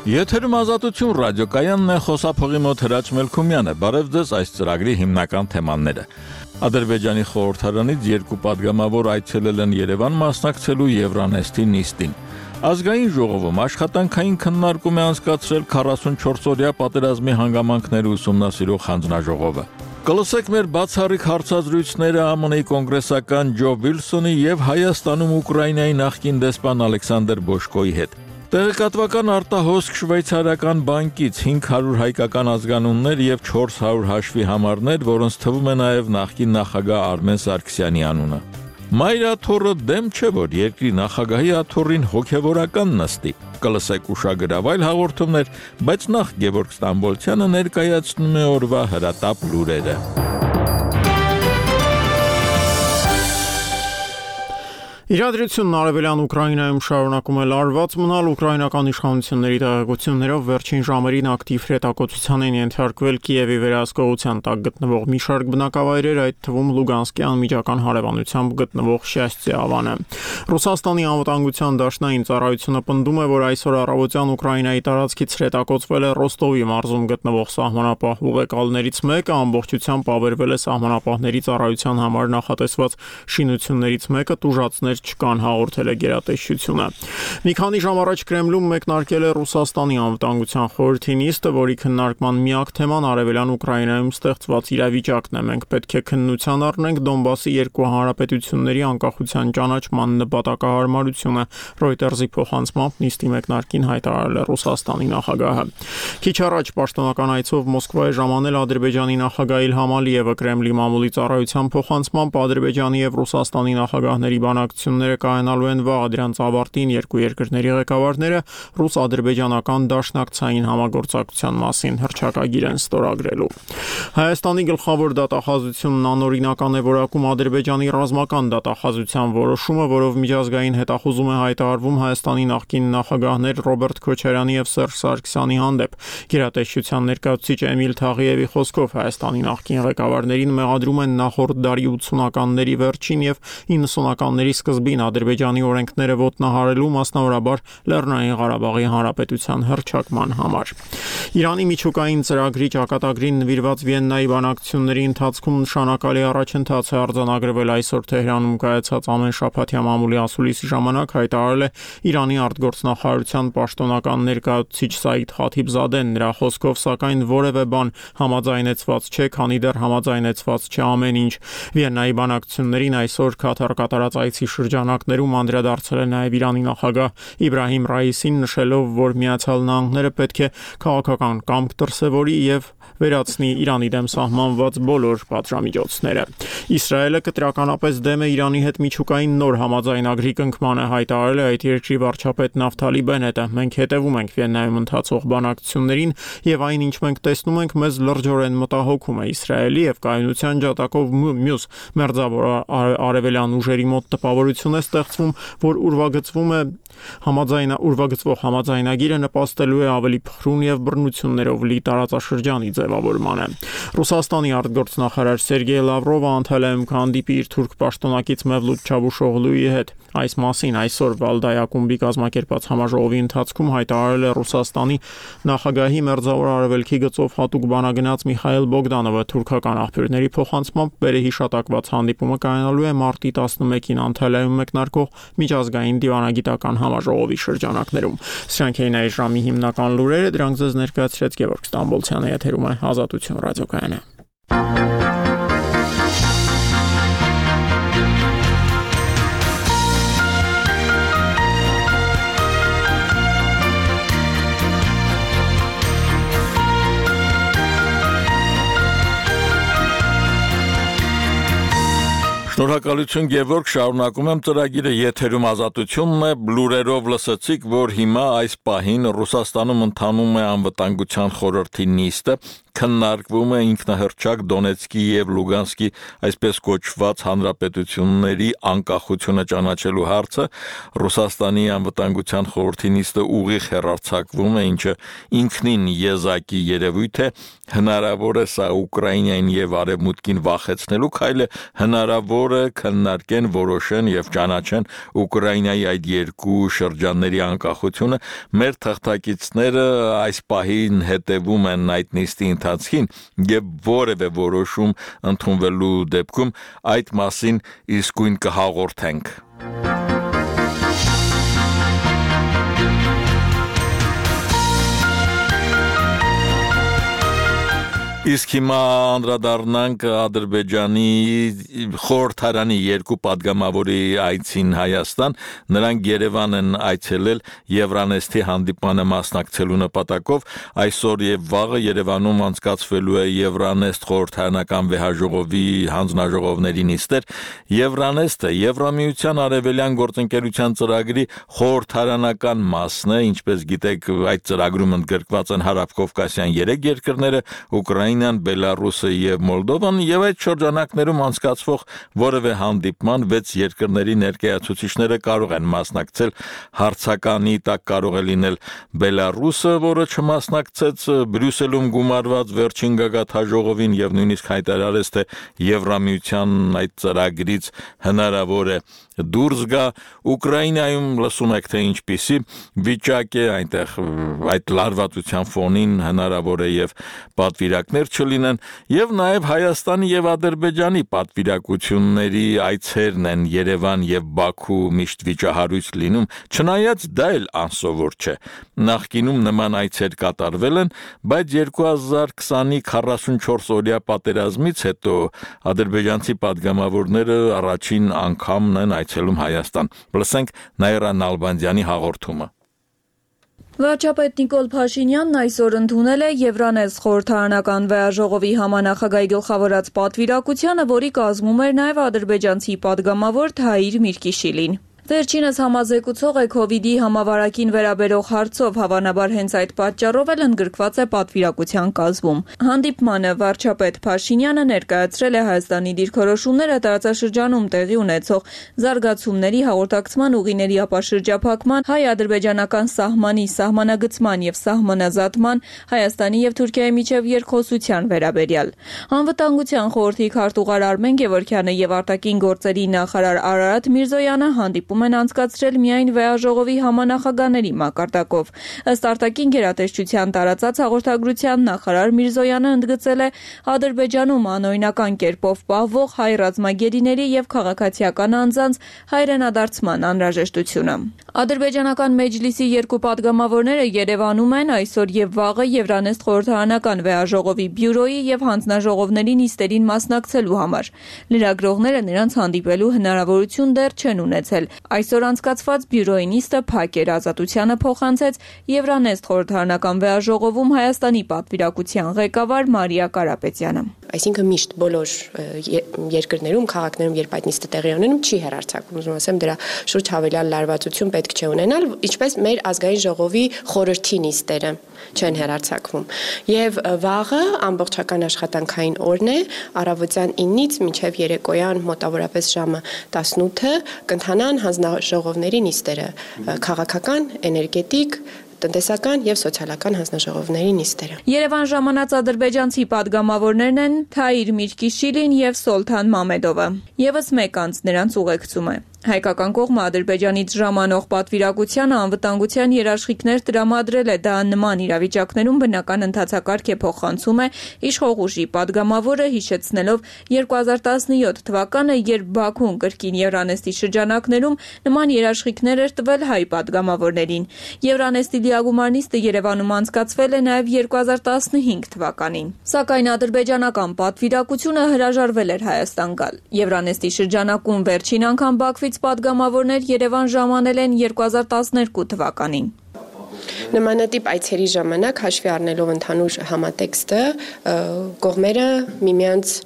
Եթերում ազատություն ռադիոկայանն է, խոսափողի մոտ Հրաչ Մելքումյանը, բարև ձեզ այս ծրագրի հիմնական թեմաները։ Ադրբեջանի խորհրդարանից երկու падգամավոր այցելել են Երևան մասնակցելու Euronest-ի նիստին։ Ազգային ժողովում աշխատանքային քննարկում է անցկացրել 44-օրյա պատերազմի հանգամանքները ուսումնասիրող հանձնաժողովը։ Կլսեք մեր բացառիկ հարցազրույցները ԱՄՆ-ի կոնգրեսական Ջո Վիլսոնի եւ Հայաստանում Ուկրաինայի նախկին դեսպան Ալեքսանդր Բոշկոյի հետ։ Տեղեկատվական արտահոսք շվեյցարական բանկից 500 հայկական ազգանուններ եւ 400 հաշվի համարներ, որոնց թվում է նաեւ նախկին նախագահ Արմեն Սարգսյանի անունը։ Մայր աթոռը դեմ չէ, որ երկրի նախագահի աթոռին հոգևորական նստի։ Կլսեք ուշագրավ այլ հաղորդումներ, բայց նախ Գևորգ Ստամբոլցյանը ներկայացնում է օրվա հրատապ լուրերը։ Իրադրությունն արևելյան Ուկրաինայում շարունակում է լարված մնալ ուկրաինական իշխանությունների տեղեկություններով վերջին ժամերին ակտիվ հրետակոծության են ենթարկվել Կիևի վերահսկողության տակ գտնվող մի շարք բնակավայրեր, այդ թվում Լուգանսկի անմիջական հարևանությամբ գտնվող Շյաստի ավանը։ Ռուսաստանի անվտանգության դաշնային ծառայությունը պնդում է, որ այսօր առավոտյան Ուկրաինայի տարածքից հրետակոծվել է Ռոստովի մարզում գտնվող սահմանապահ ուղեկալներից մեկը, ամբողջությամբ ավերվել է սահմանապահների ծառայության համար նախատեսված շինություններից մեկը, տուժածներ չկան, հաղորդել է գերատեսչությունը։ Մի քանի ժամ առաջ Կրեմլում մեկնարկել է Ռուսաստանի անվտանգության խորհրդի նիստը, որի քննարկման միակ թեման արևելյան Ուկրաինայում ստեղծված իրավիճակն է։ Մենք պետք է քննության առնենք Դոնբասի երկու հանրապետությունների անկախության ճանաչման նպատակահարմարությունը, Reuters-ի փոխանցմամբ նիստի մեկնարկին հայտարարել է Ռուսաստանի նախագահը։ Քիչ առաջ պաշտոնական այցով Մոսկվա է ժամանել Ադրբեջանի նախագահ Իլհամ Ալիևը, Կրեմլի մամուլի ծառայության փոխանցմամբ Ադրբեջանի եւ Ռուսաստանի նախագահների բանակցությունները կայանալու են վաղ դրանց ավարտին երկու երկրների ղեկավարները ռուս-ադրբեջանական դաշնակցային համագործակցության մասին հռչակագիր են ստորագրելու։ Հայաստանի գլխավոր դատախազությունն անօրինական է որակում Ադրբեջանի ռազմական դատախազության որոշումը, որով միջազգային հետախուզում է հայտարարվում Հայաստանի նախկին նախագահներ Ռոբերտ Քոչարյանի եւ Սերժ Սարգսյանի հանդեպ։ Գերատեսչության ներկայացուցիչ Էմիլ Թաղիևի խոսքով Հայաստանի նախկին ղեկավարներին մեղադրում են նախորդ դարի 80-ականների վերջին եւ 90-ականների սկզբին Ադրբեջանի օրենքները ոտնահարելու, մասնավորաբար Լեռնային Ղարաբաղի Հանրապետության հռչակման համար։ Իրանի միջուկային ծրագրի ճակատագրին նվիրված Վիեննայի բանակցությունների ընթացքում նշանակալի առաջընթաց է արձանագրվել այսօր Թեհրանում կայացած ամենշաբաթյա մամուլի ասուլիսի ժամանակ, հայտարարել է Իրանի արտգործնախարարության պաշտոնական ներկայացուցիչ Սաիդ Խաթիբզադեն։ Նրա խոսքով, սակայն որևէ բան համաձայնեցված չէ, քանի դեռ համաձայնեցված չէ ամեն ինչ։ Վիեննայի բանակցություններին այսօր Քաթար կատարած այցի շրջանակներում անդրադարձել է նաև Իրանի նախագահ Իբրահիմ Ռայիսին, նշելով, որ Միացյալ Նահանգները պետք է քաղաքական կամք դրսևորի եւ վերացնի Իրանի դեմ սահմանված բոլոր պատժամիջոցները։ Իսրայելը կտրականապես դեմ է Իրանի հետ միջուկային նոր համաձայնագրի կնքմանը, հայտարարել է այդ երկրի վարչապետ Նավթալի Բենետը։ Մենք հետևում ենք Վիեննայում ընթացող բանակցություններին եւ այն, ինչ մենք տեսնում ենք, մեզ լրջորեն մտահոգում է Իսրայելի եւ կայունության ջատակով մյուս մերձավոր արևելյան ուժերի մոտ տպավորություն է ստեղծվում, որ ուրվագծվող համաձայնագիրը նպաստելու է ավելի փխրուն եւ բռնություններով լի տարածաշրջանի ձևավորմանը։ Ռուսաստանի արտգործնախարար Սերգեյ Լավրովը Անտալիայում կհանդիպի իր թուրք պաշտոնակից Մևլութ Չավուշօղլուի հետ։ Այս մասին այսօր Վալդայ ակումբի կազմակերպած համաժողովի ընթացքում հայտարարել է Ռուսաստանի նախագահի մերձավոր արևելքի գծով հատուկ բանագնաց Միխայել Բոգդանովը։ Թուրքական աղբյուրների փոխանցմամբ վերահիշատակված հանդիպումը կայանալու է մարտի 11-ին Անտալիայում մեկնարկող միջազգային դիվանագիտական համաժողովի շրջանակներում։ Սրանք էին այս ժամի հիմնական լուրերը, դրանք ձեզ ներկայացրեց Գևորգ Ստամբոլցյանը, եթերում է Ազատություն ռադիոկայանը։ Շնորհակալություն Գևորգ, շարունակում եմ ծրագիրը, եթերում Ազատությունն է, լուրերով լսեցիք, որ հիմա այս պահին Ռուսաստանում ընթանում է անվտանգության խորհրդի նիստը, քննարկվում է ինքնահռչակ Դոնեցկի եւ Լուգանսկի այսպես կոչված հանրապետությունների անկախությունը ճանաչելու հարցը, Ռուսաստանի անվտանգության խորհրդի նիստը ուղիղ հեռարձակվում է, ինչը ինքնին եզակի երևույթ է, հնարավոր է սա Ուկրաինային եւ Արևմուտքին վախեցնելու քայլը, հնարավոր է քննարկեն, որոշեն եւ ճանաչեն Ուկրաինայի այդ երկու շրջանների անկախությունը։ Մեր թղթակիցները այս պահին հետևում են այդ նիստի ընթացքին եւ որևէ որոշում ընդունվելու դեպքում այդ մասին իսկույն կհաղորդենք։ Իսկ հիմա անդրադառնանք Ադրբեջանի խորհրդարանի երկու падգամավորի այցին Հայաստան, նրանք Երևան են այցելել Եվրանեստի հանդիպմանը մասնակցելու նպատակով, այսօր եւ վաղը Երևանում անցկացվելու է Եվրանեստ խորհրդարանական վեհաժողովի հանձնաժողովների նիստեր։ Եվրանեստը Եվրամիության արևելյան գործընկերության ծրագրի խորհրդարանական մասն է, ինչպես գիտեք, այդ ծրագրում ընդգրկված են հարավկովկասյան 3 երկրները, Ուկրաինան, Բելարուսը եւ Մոլդովան, եւ այդ շրջանակներում անցկացվող որևէ հանդիպման 6 երկրների ներկայացուցիչները կարող են մասնակցել։ Հարցականի տակ կարող է լինել Բելարուսը, որը չմասնակցեց Բրյուսելում գումարված վերջին գագաթաժողովին եւ նույնիսկ հայտարարեց, թե Եվրամիության այդ ծրագրից հնարավոր է դուրս գա։ Ուկրաինայում լսում եք, թե ինչպիսի վիճակ է այնտեղ, այդ լարվածության ֆոնին հնարավոր է եւ պատվիրակներ չլինեն, եւ նաեւ Հայաստանի եւ Ադրբեջանի պատվիրակությունների այցերն են Երևան եւ Բաքու միշտ վիճահարույց լինում, չնայած դա էլ անսովոր չէ։ Նախկինում նման այցեր կատարվել են, բայց 2020-ի 44 օրյա պատերազմից հետո ադրբեջանցի падգամավորները առաջին անգամն են այցելում Հայաստան։ Լսենք Նաիրա Նալբանդյանի հաղորդումը։ Վարչապետ Նիկոլ Փաշինյանն այսօր ընդունել է Եվրանեստ խորհրդարանական վեհաժողովի համանախագահի գլխավորած պատվիրակությանը, որի կազմում էր նաև ադրբեջանցի падգամավոր Թահիր Միրկիշիլին։ Վերջինս համազեկուցող է COVID-ի համավարակին վերաբերող հարցով, հավանաբար հենց այդ պատճառով էլ ընդգրկված է պատվիրակության կազմում։ Հանդիպմանը վարչապետ Փաշինյանը ներկայացրել է Հայաստանի դիրքորոշումները տարածաշրջանում տեղի ունեցող զարգացումների, հաղորդակցման ուղիների ապաշրջափակման, հայ-ադրբեջանական սահմանի սահմանագծման եւ սահմանազատման, Հայաստանի եւ Թուրքիայի միջև երկխոսության վերաբերյալ։ Անվտանգության խորհրդի քարտուղար Արմեն Գևորգյանը եւ արտաքին գործերի նախարար Արարատ Միրզոյանը հանդիպում են անցկացրել միայն վեհաժողովի համանախագահների մակարդակով։ Ըստ արտաքին գերատեսչության տարածած հաղորդագրության նախարար Միրզոյանը ընդգծել է Ադրբեջանում անօրինական կերպով պահվող հայ ռազմագերիների եւ քաղաքացիական անձանց հայրենադարձման անհրաժեշտությունը։ Ադրբեջանական մեջլիսի երկու падգամավորները Երևանում են այսօր եւ վաղը Եվրանեստ խորհրդարանական վեհաժողովի բյուրոյի եւ հանձնաժողովների նիստերին մասնակցելու համար։ Լրագրողները նրանց հանդիպելու հնարավորություն դեռ չեն ունեցել։ Այսօր անցկացված բյուրոյի նիստը փակ էր, Ազատությանը փոխանցեց Եվրանեստ խորհրդարանական վեհաժողովում Հայաստանի պատվիրակության ղեկավար Մարիա Կարապետյանը։ Այսինքն միշտ բոլոր երկրներում, քաղաքներում, երբ այդ նիստը տեղի ունենում, չի հեռարձակվում։ Ուզում ասեմ, դրա շուրջ հավելյալ լարվածություն պետք չէ ունենալ, ինչպես մեր ազգային ժողովի խորհրդի նիստերը չեն հեռարձակվում։ Եվ վաղը ամբողջական աշխատանքային օրն է, առավոտյան 9-ից մինչև երեկոյան մոտավորապես ժամը 18-ը կընթանան հանձնաժողովների նիստերը, քաղաքական, էներգետիկ, տնտեսական եւ սոցիալական հանձնաժողովների նիստերը։ Երևան ժամանած ադրբեջանցի падգամավորներն են Թահիր Միրկիշիլին եւ Սոլթան Մամեդովը։ Եվս մեկ անձ նրանց ուղեկցում է։ Հայկական կողմը Ադրբեջանից ժամանող պատվիրակությանը անվտանգության երաշխիքներ տրամադրել է, դա նման իրավիճակներում բնական ընթացակարգ է, փոխանցում է իշխող ուժի падգամավորը, հիշեցնելով 2017 թվականը, երբ Բաքուն կրկին Եվրանեստի շրջանակներում նման երաշխիքներ էր տվել հայ падգամավորներին։ Եվրանեստի լիագումար նիստը Երևանում անցկացվել է նաև 2015 թվականին։ Սակայն ադրբեջանական պատվիրակությունը հրաժարվել էր Հայաստան գալ։ Եվրանեստի շրջանակում վերջին անգամ Բաքվից падգամավորներ Երևան ժամանել են 2012 թվականին։ Նմանատիպ այցերի ժամանակ հաշվի առնելով ընդհանուր համատեքստը կողմերը միմյանց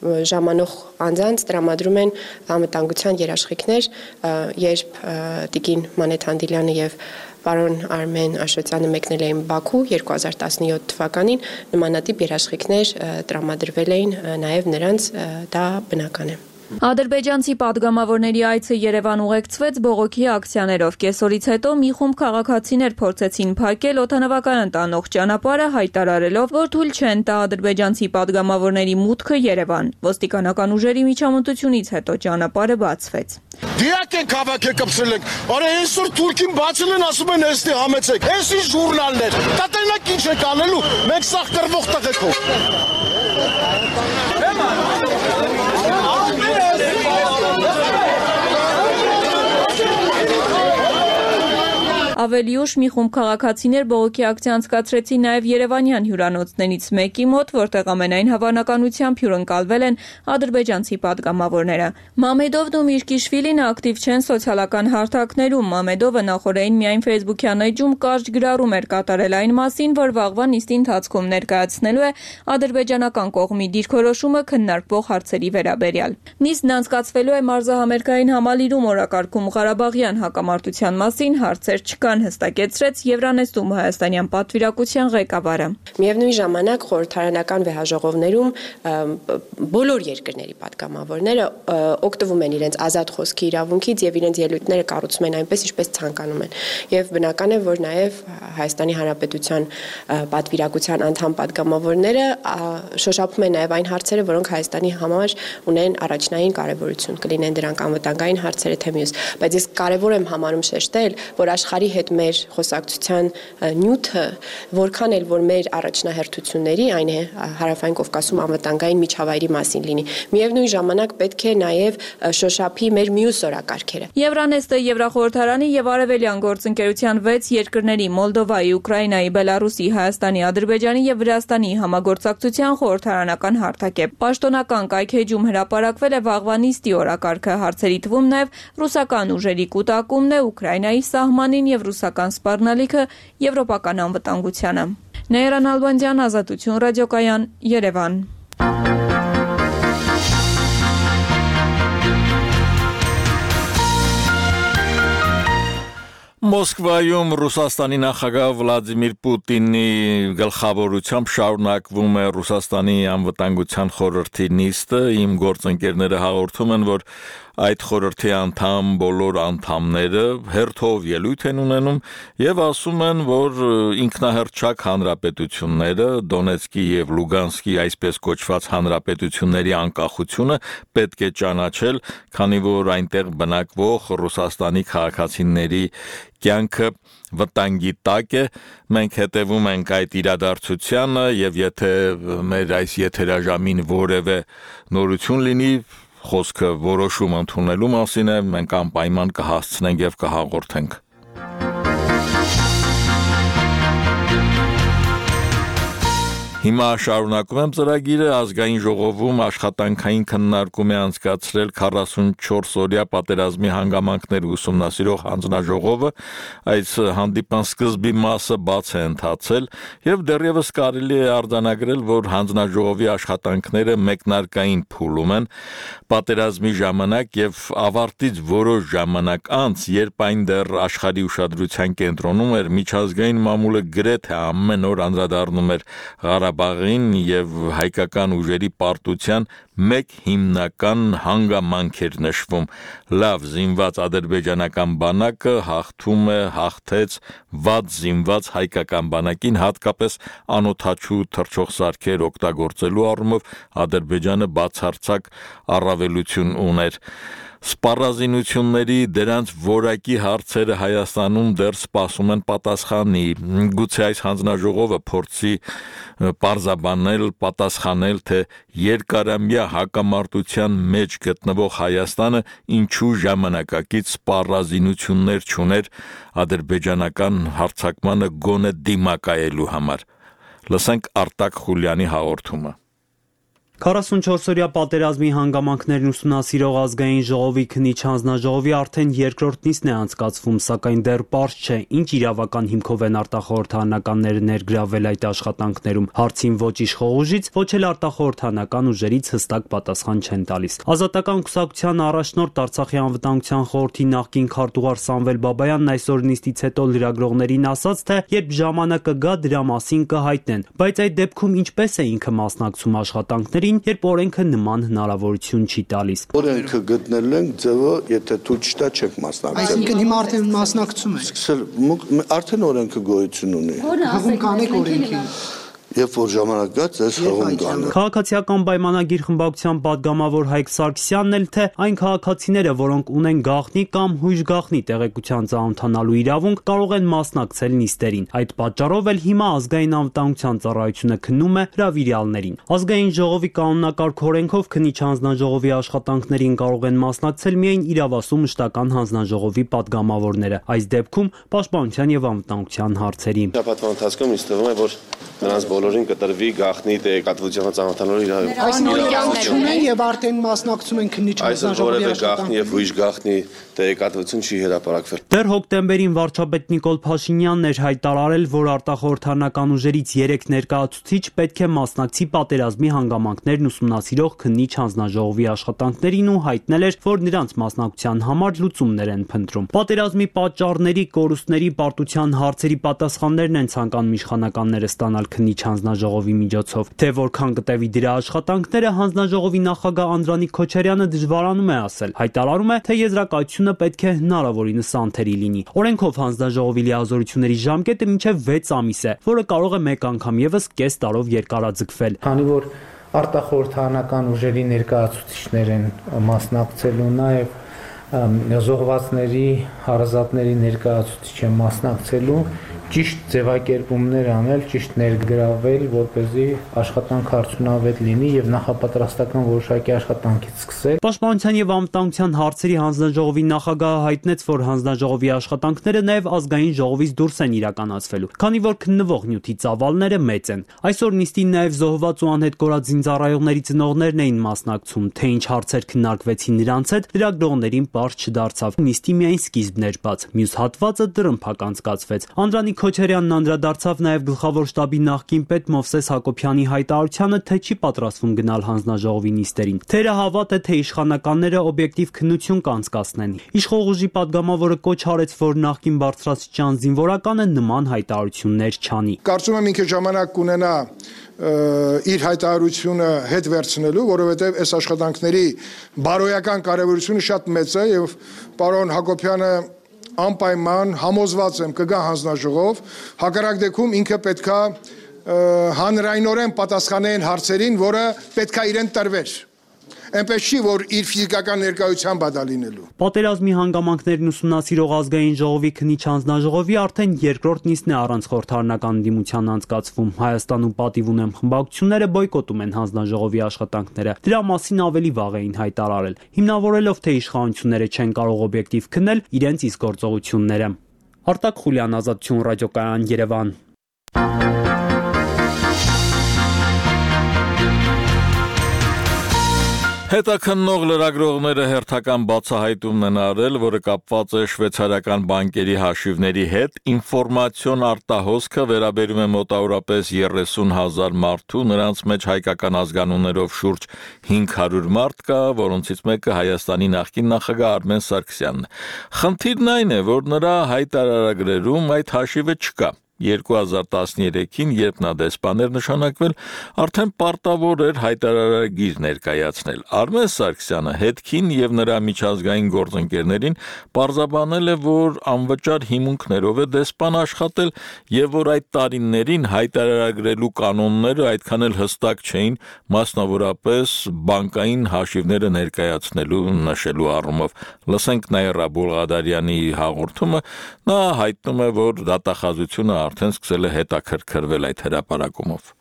ժամանող անձանց տրամադրում են անվտանգության երաշխիքներ, երբ տիկին Մանեթ Հանդիլյանը եւ պարոն Արմեն Աշոտյանը մեկնել էին Բաքու 2017 թվականին, նմանատիպ երաշխիքներ տրամադրվել էին նաև նրանց, դա բնական է։ Ադրբեջանցի падգամավորների այցը Երևան ուղեկցվեց բողոքի ակցիաներով։ Կեսօրից հետո մի խումբ քաղաքացիներ փորձեցին փակել օդանավակայան տանող ճանապարհը, հայտարարելով, որ թույլ չեն տա ադրբեջանցի падգամավորների մուտքը Երևան։ Ոստիկանական ուժերի միջամտությունից հետո ճանապարհը բացվեց։ Դիակ են քաղաքը կպսել ենք։ Արա այսօր Թուրքին բացել են, ասում են էստի համեցեք։ Էսի ժուրնալներ։ Տատենակ ինչ եք անելու։ Մենք սաղ կրվող տղեկով։ Ավելի ուշ մի խումբ քաղաքացիներ բողոքի ակցիա անցկացրեցին նաև Երևանյան հյուրանոցներից մեկի մոտ, որտեղ ամենայն հավանականությամբ հյուրընկալվել են ադրբեջանցի падգամավորները։ Մամեդովն ու Միրկիշվիլին ակտիվ չեն սոցիալական հարթակներում։ Մամեդովը նախորդին միայն Facebook-յան էջում կարճ գրառում էր կատարել այն մասին, որ վաղվա նիստի ընթացքում ներկայացնելու է ադրբեջանական կողմի դիրքորոշումը քննարկվող հարցերի վերաբերյալ։ Նիստն անցկացվելու է մարզահամերգային համալիրում օրակարգում Ղարաբաղյան հակամարտության մասին հարցեր չկան, հստակեցրեց Եվրանեստում հայաստանյան պատվիրակության ղեկավարը։ Միևնույն ժամանակ խորհրդարանական վեհաժողովներում բոլոր երկրների падգամավորները օգտվում են իրենց ազատ խոսքի իրավունքից եւ իրենց ելույթները կառուցում են այնպես, ինչպես ցանկանում են։ Եվ բնական է, որ նաեւ Հայաստանի Հանրապետության պատվիրակության անդամ падգամավորները շոշափում են նաեւ այն հարցերը, որոնք Հայաստանի համար ունեն առաջնային կարեւորություն, կլինեն դրանք անվտանգային հարցերը թե մյուս, բայց ես կարեւոր եմ համարում շեշտել, որ աշխարհի հետ մեր խոսակցության նյութը, որքան էլ որ մեր առաջնահերթությունների, այն է Հարավային Կովկասում անվտանգային միջավայրի մասին լինի։ Միևնույն ժամանակ պետք է նաև շոշափի մեր մյուս օրակարգերը։ Եվրանեստը Եվրախորհրդարանի եւ Արևելյան գործընկերության 6 երկրների՝ Մոլդովայի, Ուկրաինայի, Բելարուսի, Հայաստանի, Ադրբեջանի եւ Վրաստանի համագործակցության խորհրդարանական հարթակ է։ Պաշտոնական կայքեջում հրապարակվել է վաղվա նիստի օրակարգը, հարցերի թվում նաև ռուսական ուժերի կուտակումն է, Ուկրաինայի սահմանին եւ ռուսական սպառնալիքը եվրոպական անվտանգությանը։ Նեյրան Ալբանդյան, Ազատություն ռադիոկայան, Երևան։ Մոսկվայում Ռուսաստանի նախագահ Վլադիմիր Պուտինի գլխավորությամբ շարունակվում է Ռուսաստանի անվտանգության խորհրդի նիստը։ Իմ գործընկերները հաղորդում են, որ այդ խորհրդի անդամ բոլոր անդամները հերթով ելույթ են ունենում եւ ասում են, որ ինքնահռչակ հանրապետությունները, Դոնեցկի եւ Լուգանսկի այսպես կոչված հանրապետությունների անկախությունը պետք է ճանաչել, քանի որ այնտեղ բնակվող Ռուսաստանի քաղաքացիների կյանքը վտանգի տակ է։ Մենք հետևում ենք այդ իրադարձությանը եւ եթե մեր այս եթերաժամին որևէ նորություն լինի, խոսքը որոշում ընդունելու մասին է, մենք անպայման կհասցնենք եւ կհաղորդենք։ Հիմա շարունակում եմ ծրագիրը ազգային ժողովում աշխատանքային քննարկում է անցկացրել 44-օրյա պատերազմի հանգամանքներ ուսումնասիրող հանձնաժողովը, այս հանդիպան սկզբի մասը բաց է ընթացել եւ դեռևս կարելի է արձանագրել, որ հանձնաժողովի աշխատանքները մեկնարկային փուլում են պատերազմի ժամանակ եւ ավարտից որոշ ժամանակ անց, երբ այն դեռ աշխարհի ուշադրության կենտրոնում էր, միջազգային մամուլը գրեթե ամեն օր անդրադառնում էր Ղարաբաղին եւ հայկական ուժերի պարտության մեկ հիմնական հանգամանք էր նշվում. լավ զինված ադրբեջանական բանակը հաղթեց վատ զինված հայկական բանակին, հատկապես անօթաչու թռչող սարքեր օգտագործելու առումով Ադրբեջանը բացարձակ առավելություն ուներ։ Սպառազինությունների դրանց որակի հարցերը Հայաստանում դեռ սպասում են պատասխանի։ Գուցե այս հանձնաժողովը փորձի պատասխանել, թե երկարամյա հակամարտության մեջ գտնվող Հայաստանը ինչու ժամանակակից սպառազինություններ չուներ ադրբեջանական հարձակմանը գոնե դիմակայելու համար։ Լսենք Արտակ Խուլյանի հաղորդումը։ 44-օրյա պատերազմի հանգամանքներն ուսումնասիրող ազգային ժողովի քննիչ հանձնաժողովի արդեն երկրորդ նիստն է անցկացվում, սակայն դեռ պարզ չէ, ինչ իրավական հիմքով են արտախորհրդարանականները ներգրավել այդ աշխատանքներում։ Հարցին ոչ իշխող ուժից, ոչ էլ արտախորհրդարանական ուժերից հստակ պատասխան չեն տալիս։ Ազատական կուսակցության առաջնորդ Արցախի անվտանգության խորհրդի նախկին քարտուղար Սամվել Բաբայանն այսօր նիստից հետո լրագրողներին ասաց, թե երբ ժամանակը գա, դրա մասին կհայտնեն, բայց այդ դեպքում ինչպես է ինքը մասնակցում աշխատանքներին, երբ օրենքը նման հնարավորություն չի տալիս։ Օրենքը գտնել ենք ձևը, եթե թույլ չտա չեք մասնակցել։ Այսինքն հիմա արդեն մասնակցում եք։ Արդեն օրենքը գոյություն ունի։ Հղում կանեք օրենքի։ Երբ որ ժամանակ գա, ձեզ հղում կանը։ Քաղաքացիական պայմանագիր խմբակցության падգամավոր Հայկ Սարգսյանն էլ թե այն քաղաքացիները, որոնք ունեն գաղտնի կամ հույժ գաղտնի տեղեկության ծանոթանալու իրավունք, կարող են մասնակցել նիստերին։ Այդ պատճառով էլ հիմա ազգային անվտանգության ծառայությունը քննում է հրավիրյալներին։ Ազգային ժողովի կանոնակարգ օրենքով քննիչ հանձնաժողովի աշխատանքներին կարող են մասնակցել միայն իրավասու մշտական հանձնաժողովի падգամավորները, այս դեպքում պաշտպանության եւ անվտանգության հարցերի։ Շաբաթվա ընթացքում ինձ թվում է, որ նրանց բոլորին կտրվի գաղտնի տեղեկատվության ծանոթանալու իրավունք։ Այսինքն չունեն եւ արդեն մասնակցում են քննիչ հանձնաժողովի աշխատանքներին։ Եվ ուրիշ գաղտնի տեղեկատվություն չի հրապարակվել։ Դեռ հոկտեմբերին վարչապետ Նիկոլ Փաշինյանն էր հայտարարել, որ արտախորհրդարանական ուժերից 3 ներկայացուցիչ պետք է մասնակցի պատերազմի հանգամանքներն ուսումնասիրող քննիչ հանձնաժողովի աշխատանքներին ու հայտնել էր, որ նրանց մասնակցության համար լուծումներ են փնտրում։ Պատերազմի պատճառների, կորուստների, պարտության հարցերի պատասխաններն են ցանկանում իշխանականները ստանալ քննիչ հանձնաժողովի միջոցով։ Թե որքան կտևի դրա աշխատանքները, հանձնաժողովի նախագահ Անդրանիկ Քոչարյանը դժվարանում է ասել։ Հայտարարում է, թե եզրակացությունը պետք է հնարավորինս անթերի լինի։ Օրենքով հանձնաժողովի լիազորությունների ժամկետը մինչև 6 ամիս է, որը կարող է մեկ անգամ եւս կես տարով երկարաձգվել։ Քանի որ արտախորհրդարանական ուժերի ներկայացուցիչներ են մասնակցելու, նաև զոհվածների, հարազատների ներկայացուցիչ են մասնակցելու, ճիշտ ձևակերպումներ անել, ճիշտ ներգրավել, որպեսզի աշխատանքը արդյունավետ լինի եւ նախապատրաստական որոշակի աշխատանքից սկսել։ Պաշտպանության եւ անվտանգության հարցերի հանձնաժողովի նախագահը հայտնեց, որ հանձնաժողովի աշխատանքները նաեւ ազգային ժողովից դուրս են իրականացվելու, քանի որ քննվող նյութի ծավալները մեծ են։ Այսօր նիստին նաեւ զոհված ու անհետ կորած զինծառայողների ծնողներն էին մասնակցում, թե ինչ հարցեր քննարկվեցին նրանց հետ, լրագրողներին պարզ չդարձավ։ Նիստի միայն սկիզբն էր բաց, մյուս հատվածը դրըմփակ անցկացվեց։ Անդրանիկ Քոչարյանն անդրադարձավ նաև գլխավոր շտաբի նախկին պետ Մովսես Հակոբյանի հայտարարությանը, թե չի պատրաստվում գնալ հանձնաժողովի նիստերին։ Թերահավատ է, թե իշխանականները օբյեկտիվ քննություն կանցկացնեն։ Իշխող ուժի падգամավորը կոչ արեց, որ նախկին բարձրաստիճան զինվորականը նման հայտարարություններ չանի։ Կարծում եմ ինքը ժամանակ կունենա իր հայտարարությունը հետ վերցնելու, որովհետև այս աշխատանքների բարոյական կարևորությունը շատ մեծ է եւ պարոն Հակոբյանը անպայման համոզված եմ կգա հանձնաժողով, հակառակ դեպքում ինքը պետքա հանրայնորեն պատասխանեն հարցերին, որը պետքա իրեն տրվեր։ Այնպես չի, որ իր ֆիզիկական ներկայությամբ է դա լինելու։ Պատերազմի հանգամանքներն ուսումնասիրող ազգային ժողովի քննիչ հանձնաժողովի արդեն երկրորդ նիստն է առանց խորհրդարանական դիմության անցկացվում։ Հայաստանում պատիվ ունեմ խմբակցությունները բոյկոտում են հանձնաժողովի աշխատանքները։ Դրա մասին ավելի վաղ էին հայտարարել, հիմնավորելով, թե իշխանությունները չեն կարող օբյեկտիվ քննել իրենց իսկ գործողությունները։ Արտակ Խուլյան, Ազատություն ռադիոկայան, Երևան։ Հետաքննող լրագրողները հերթական բացահայտումն են արել, որը կապված է շվեյցարական բանկերի հաշիվների հետ, ինֆորմացիոն արտահոսքը վերաբերում է մոտավորապես 30,000 մարդու, նրանց մեջ հայկական ազգանուններով շուրջ 500 մարդ կա, որոնցից մեկը Հայաստանի նախկին նախագահ Արմեն Սարգսյանն է։ Խնդիրն այն է, որ նրա հայտարարագրերում այդ հաշիվը չկա։ 2013-ին, երբ նա դեսպան էր նշանակվել, արդեն պարտավոր էր հայտարարագիր ներկայացնել։ Արմեն Սարգսյանը հետքին եւ նրա միջազգային գործընկերներին պարզաբանել է, որ անվճար հիմունքներով է դեսպան աշխատել եւ որ այդ տարիներին հայտարարագրելու կանոնները այդքան էլ հստակ չէին, մասնավորապես բանկային հաշիվները ներկայացնելու նշելու առումով։ Լսենք Նաիրա Բուլղադարյանի հաղորդումը, նա հայտնում է, որ դատախազությունը արդեն սկսել է հետաքրքրվել այդ հրապարակումով։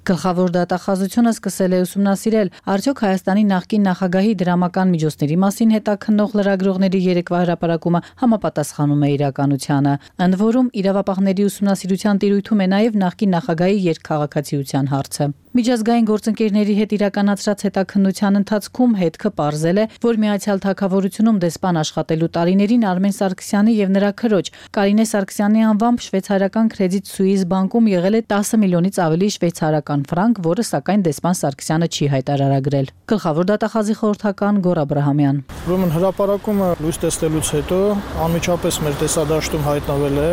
Գլխավոր դատախազությունը սկսել է ուսումնասիրել արդյոք Հայաստանի նախկին նախագահի դրամական միջոցների մասին հետաքննող լրագրողների երեկվա հրապարակումը համապատասխանում է իրականությանը, ընդ որում իրավապահների ուսումնասիրության տիրույթում է նաև նախկին նախագահի երկքաղաքացիության հարցը։ Միջազգային գործընկերների հետ իրականացրած հետաքննության ընթացքում հետքը պարզել է, որ Միացյալ Թագավորությունում դեսպան աշխատելու տարիներին Արմեն Սարգսյանի եւ նրա քրոջ Կարինե Սարգսյանի անվամբ շվեյցարական Credit Suisse բանկում եղել է 10 միլիոնից ավելի շվեյցարական ֆրանկ, որը սակայն դեսպան Սարգսյանը չի հայտարարագրել։ Գլխավոր դատախազի խորհրդական Գոռ Աբրահամյան։ Ուրեմն հրապարակումը լույս տեսնելուց հետո անմիջապես մեր տեսադաշտում հայտնվել է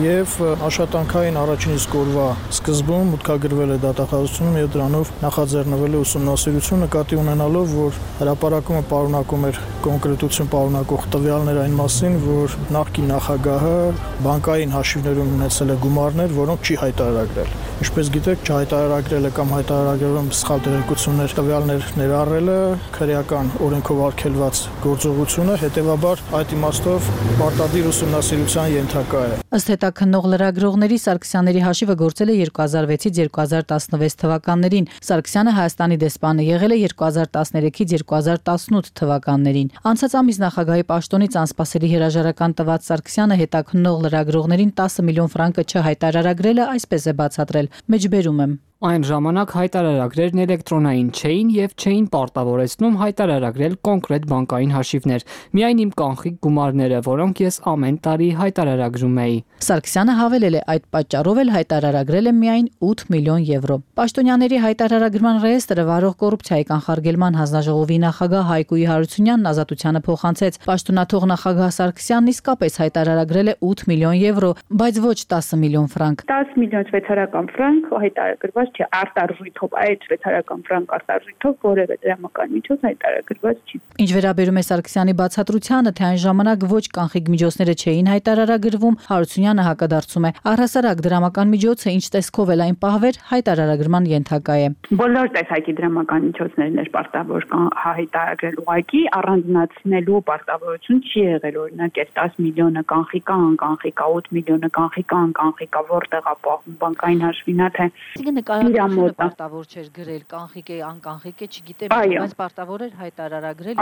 եւ աշխատանքային առաջին իսկ օրվա սկզբում մուտքագրվել է դատախազությունում եւ դրանով նախաձեռնվել է ուսումնասիրություն նկատի ունենալով, որ հրապարակումը պարունակում էր կոնկրետություն պարունակող տվյալներ այն մասին, որ նախկին նախագահը բանկային հաշիվներում ունեցել է գումարներ, որոնք չի հայտարարագրել։ Ինչպես գիտեք, չհայտարարագրելը կամ հայտարարագրում սխալ տեղեկություններ տվյալներ ներառելը քրեական օրենքով արգելված գործողություն է, հետևաբար այդ իմաստով պարտադիր ուսումնասիրության ենթակա է։ Ըստ հետաքննող լրագրողների Սարգսյանների հաշիվը գործել է 2006-ից 2016 թվականներին։ Սարգսյանը Հայաստանի դեսպանը եղել է 2013-ից 2018 թվականներին։ Անցած ամիս նախագահի պաշտոնից անսպասելի հրաժարական տված Սարգսյանը հետաքննող լրագրողներին 10 միլիոն ֆրանկը չհայտարարագրելը այսպես է բացատրել. Մեջբերում եմ։ Այն ժամանակ հայտարարագրերն էլեկտրոնային չէին եւ չէին պարտավորեցնում հայտարարագրել կոնկրետ բանկային հաշիվներ, միայն իմ կանխիկ գումարները, որոնք ես ամեն տարի հայտարարագրում էի։ Սարգսյանը հավելել է, այդ պատճառով էլ հայտարարագրել է միայն 8 միլիոն եվրո։ Պաշտոնյաների հայտարարագրման ռեեստրը վարող կոռուպցիայի կանխարգելման հանձնաժողովի նախագահ Հայկույի Հարությունյանն ազատությանը փոխանցեց։ Պաշտոնաթող նախագահ Սարգսյանն իսկապես հայտարարագրել է 8 միլիոն եվրո, բայց ոչ 10 միլիոն ֆրանկ։ 10 միլիոն շվեյցարական ֆրանկ հայտարարագրված չէ, արտարժույթով, այդ շվեյցարական ֆրանկ արտարժույթով որևէ դրամական միջոց հայտարարագրված չի։ Ինչ վերաբերում է Սարգսյանի բացատրությանը, թե այն ժամանակ ոչ կանխիկ միջոցները չէին հայտարարագրվում, Հարությունյանը հակադարձում է. առհասարակ դրամական միջոցը ինչ տեսքով էլ այն պահվեր, հայտարարագրման ենթակա է։ Բոլոր տեսակի դրամական միջոցներն էր պարտավոր հայտարարել, ուղղակի առանձնացնելու պարտավորություն չի եղել, օրինակ այս 10 միլիոնը կանխիկա, անկանխիկա, 8 միլիոնը կանխիկա, անկանխիկա, որտեղ է պահվում բանկային հաշվինա, թե նկարագրությունը պարտավոր չէր գրել, կանխիկ է, անկանխիկ է, չգիտեմ, բայց պարտավոր էր հայտարարագրել,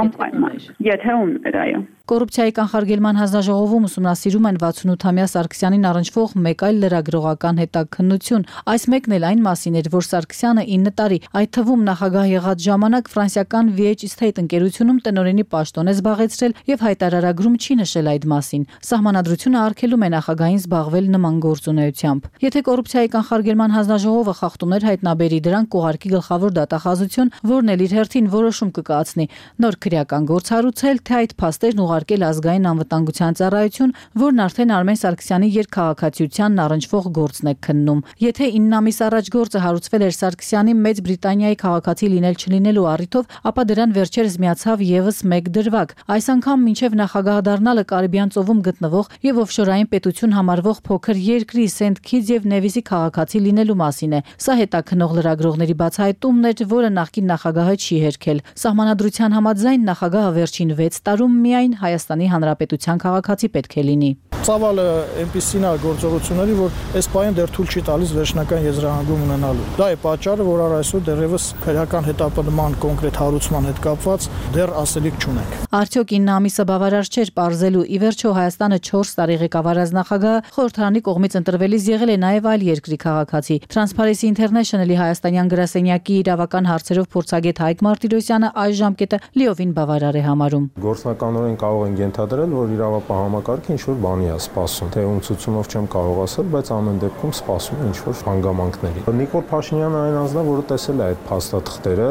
եթե ուներ, այո։ Կոռուպցիայի կանխարգելման հանձնաժողովում ուսումնասիրում են 68-ամյա Սարգսյանին առնչվող մեկ այլ լրագրողական հետաքննություն։ Այս մեկն էլ այն մասին էր, որ Սարգսյանը 9 տարի, այդ թվում նախագահ եղած ժամանակ ֆրանսիական VH Estate ընկերությունում տնօրենի պաշտոն է զբաղեցրել եւ հայտարարագրում չի նշել այդ մասին։ Սահմանադրությունը արգելում է նախագահին զբաղվել նման գործունեությամբ։ Եթե կոռուպցիայի կանխարգելման հանձնաժողովը խախտումներ հայտնաբերի, դրան կուղարկի գլխավոր դատախազություն, որն էլ իր հերթին որոշում կկայացնի նոր քրեական գործ հարուցել, թե այդ փաստերն ուղարկել ազգային անվտանգության ծառայություն, որն արդեն Արմեն Սարգսյանի երկքաղաքացիությանն առնչվող գործն է քննում։ Եթե 9 ամիս առաջ գործը հարուցվել էր Սարգսյանի Մեծ Բրիտանիայի քաղաքացի լինել չլինելու առիթով, ապա դրան վերջերս միացավ եւս մեկ դրվագ։ Այս անգամ մինչև նախագահ դառնալը Կարիբյան ծովում գտնվող եւ օֆշորային պետություն համարվող փոքր երկրի Սենթ Քիթս եւ Նևիսի քաղաքացի լինելու մասին է։ Սա հետաքննող լրագրողների բացահայտումն էր, որը նախկին նախագահը չի հերքել։ Սահմանադրության համաձայն նախագահը վերջին 6 տարում միայն Հայաստանի Հանրապետության քաղաքացի պետք է լինի։ Ծավալը այնպեսին է գործողությունների, որ այս պահին դեռ թույլ չի տալիս վերջնական եզրահանգում ունենալու։ Դա է պատճառը, որ առ այսօր դեռևս քրեական հետապնդման կոնկրետ հարուցման հետ կապված դեռ ասելիք չունենք։ Արդյոք 9 ամիսը բավարար չէր պարզելու։ Ի վերջո Հայաստանը 4 տարի ղեկավարած նախագահը խորհրդարանի կողմից ընտրվելիս եղել է նաև այլ երկրի քաղաքացի։ Transparency International-ի հայաստանյան գրասենյակի իրավական հարցերով փորձագետ Հայկ Մարտիրոսյանը այս ժամկետը լիովին բավարար է համարում։ Գործնականորեն կարող են ենթադրել, որ իրավապահ համակարգը ինչ-որ բանի է սպասում, թե ումցուցումով չեմ կարող ասել, բայց ամեն դեպքում սպասում է ինչ-որ հանգամանքների։ Նիկոլ Փաշինյանը այն անձն է, որը տեսել է այդ փաստաթղթերը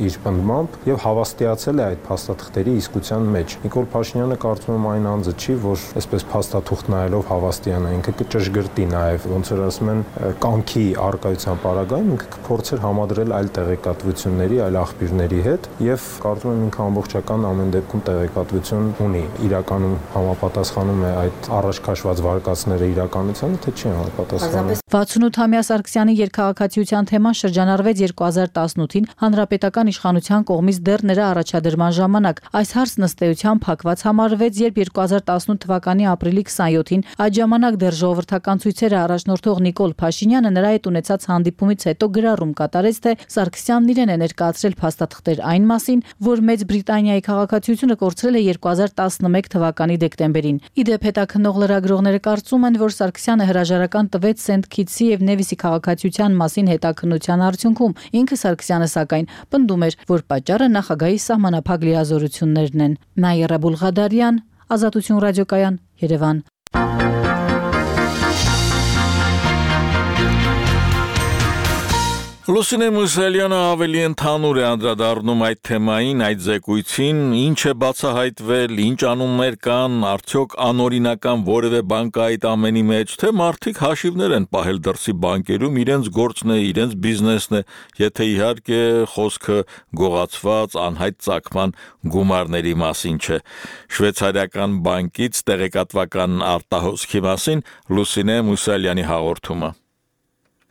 իր պնդմամբ եւ հավաստիացել է այդ փաստաթղթերի իսկության մեջ։ Նիկոլ Փաշինյանը կարծում եմ այն անձը չի, որ այսպես փաստաթուղթ նայելով հավաստիանա, ինքը կճշգրտի նաեւ, ոնց որ ասում են, կանքի արկայության պարագայում ինքը կփորձեր համադրել այլ տեղեկատվությունների, այլ աղբյուրների հետ եւ կարծում եմ ինքը ամբողջական ամեն դեպքում տեղեկատվություն ունի։ Իրականում համապատասխանում է այդ առաջ քաշված վարկածները իրականությանը, թե չի համապատասխանում։ 68-ամյա Սարգսյանի երկքաղաքացիության թեման շրջանառվեց 2018-ին հանրապետական իշխանության կողմից դեռ նրա առաջադրման ժամանակ։ Այս հարցն ըստ էության փակված համարվեց, երբ 2018 թվականի ապրիլի 27-ին այդ ժամանակ դեռ ժողովրդական ցույցերը առաջնորդող Նիկոլ Փաշինյանը նրա հետ ունեցած հանդիպում հաստատումից հետո գրառում կատարեց, թե Սարգսյանն իրեն է ներկայացրել փաստաթղթեր այն մասին, որ Մեծ Բրիտանիայի քաղաքացիությունը կորցրել է 2011 թվականի դեկտեմբերին։ Իդեպ հետաքննող լրագրողները կարծում են, որ Սարգսյանը հրաժարական տվեց Սենթ Քիթսի եւ Նևիսի քաղաքացիության մասին հետաքննության արդյունքում։ Ինքը Սարգսյանը սակայն պնդում էր, որ պատճառը նախագահի սահմանափակ լիազորություններն են։ Նաիրա Բուլղադարյան, Ազատություն ռադիոկայան, Երևան։ Լուսինե Մուսալյանը ավելի ընդհանուր է անդրադառնում այդ թեմային, այդ զեկույցին, ինչ է բացահայտվել, ինչ անուններ կան, արդյոք անօրինական որևէ բան կա այդ ամենի մեջ, թե մարդիկ հաշիվներ են պահել դրսի բանկերում, իրենց գործն է, իրենց բիզնեսն է, եթե իհարկե խոսքը գողացված անհայտ ծագման գումարների մասին չէ։ Շվեյցարիական բանկից տեղեկատվական արտահոսքի մասին Լուսինե Մուսալյանի հաղորդումը։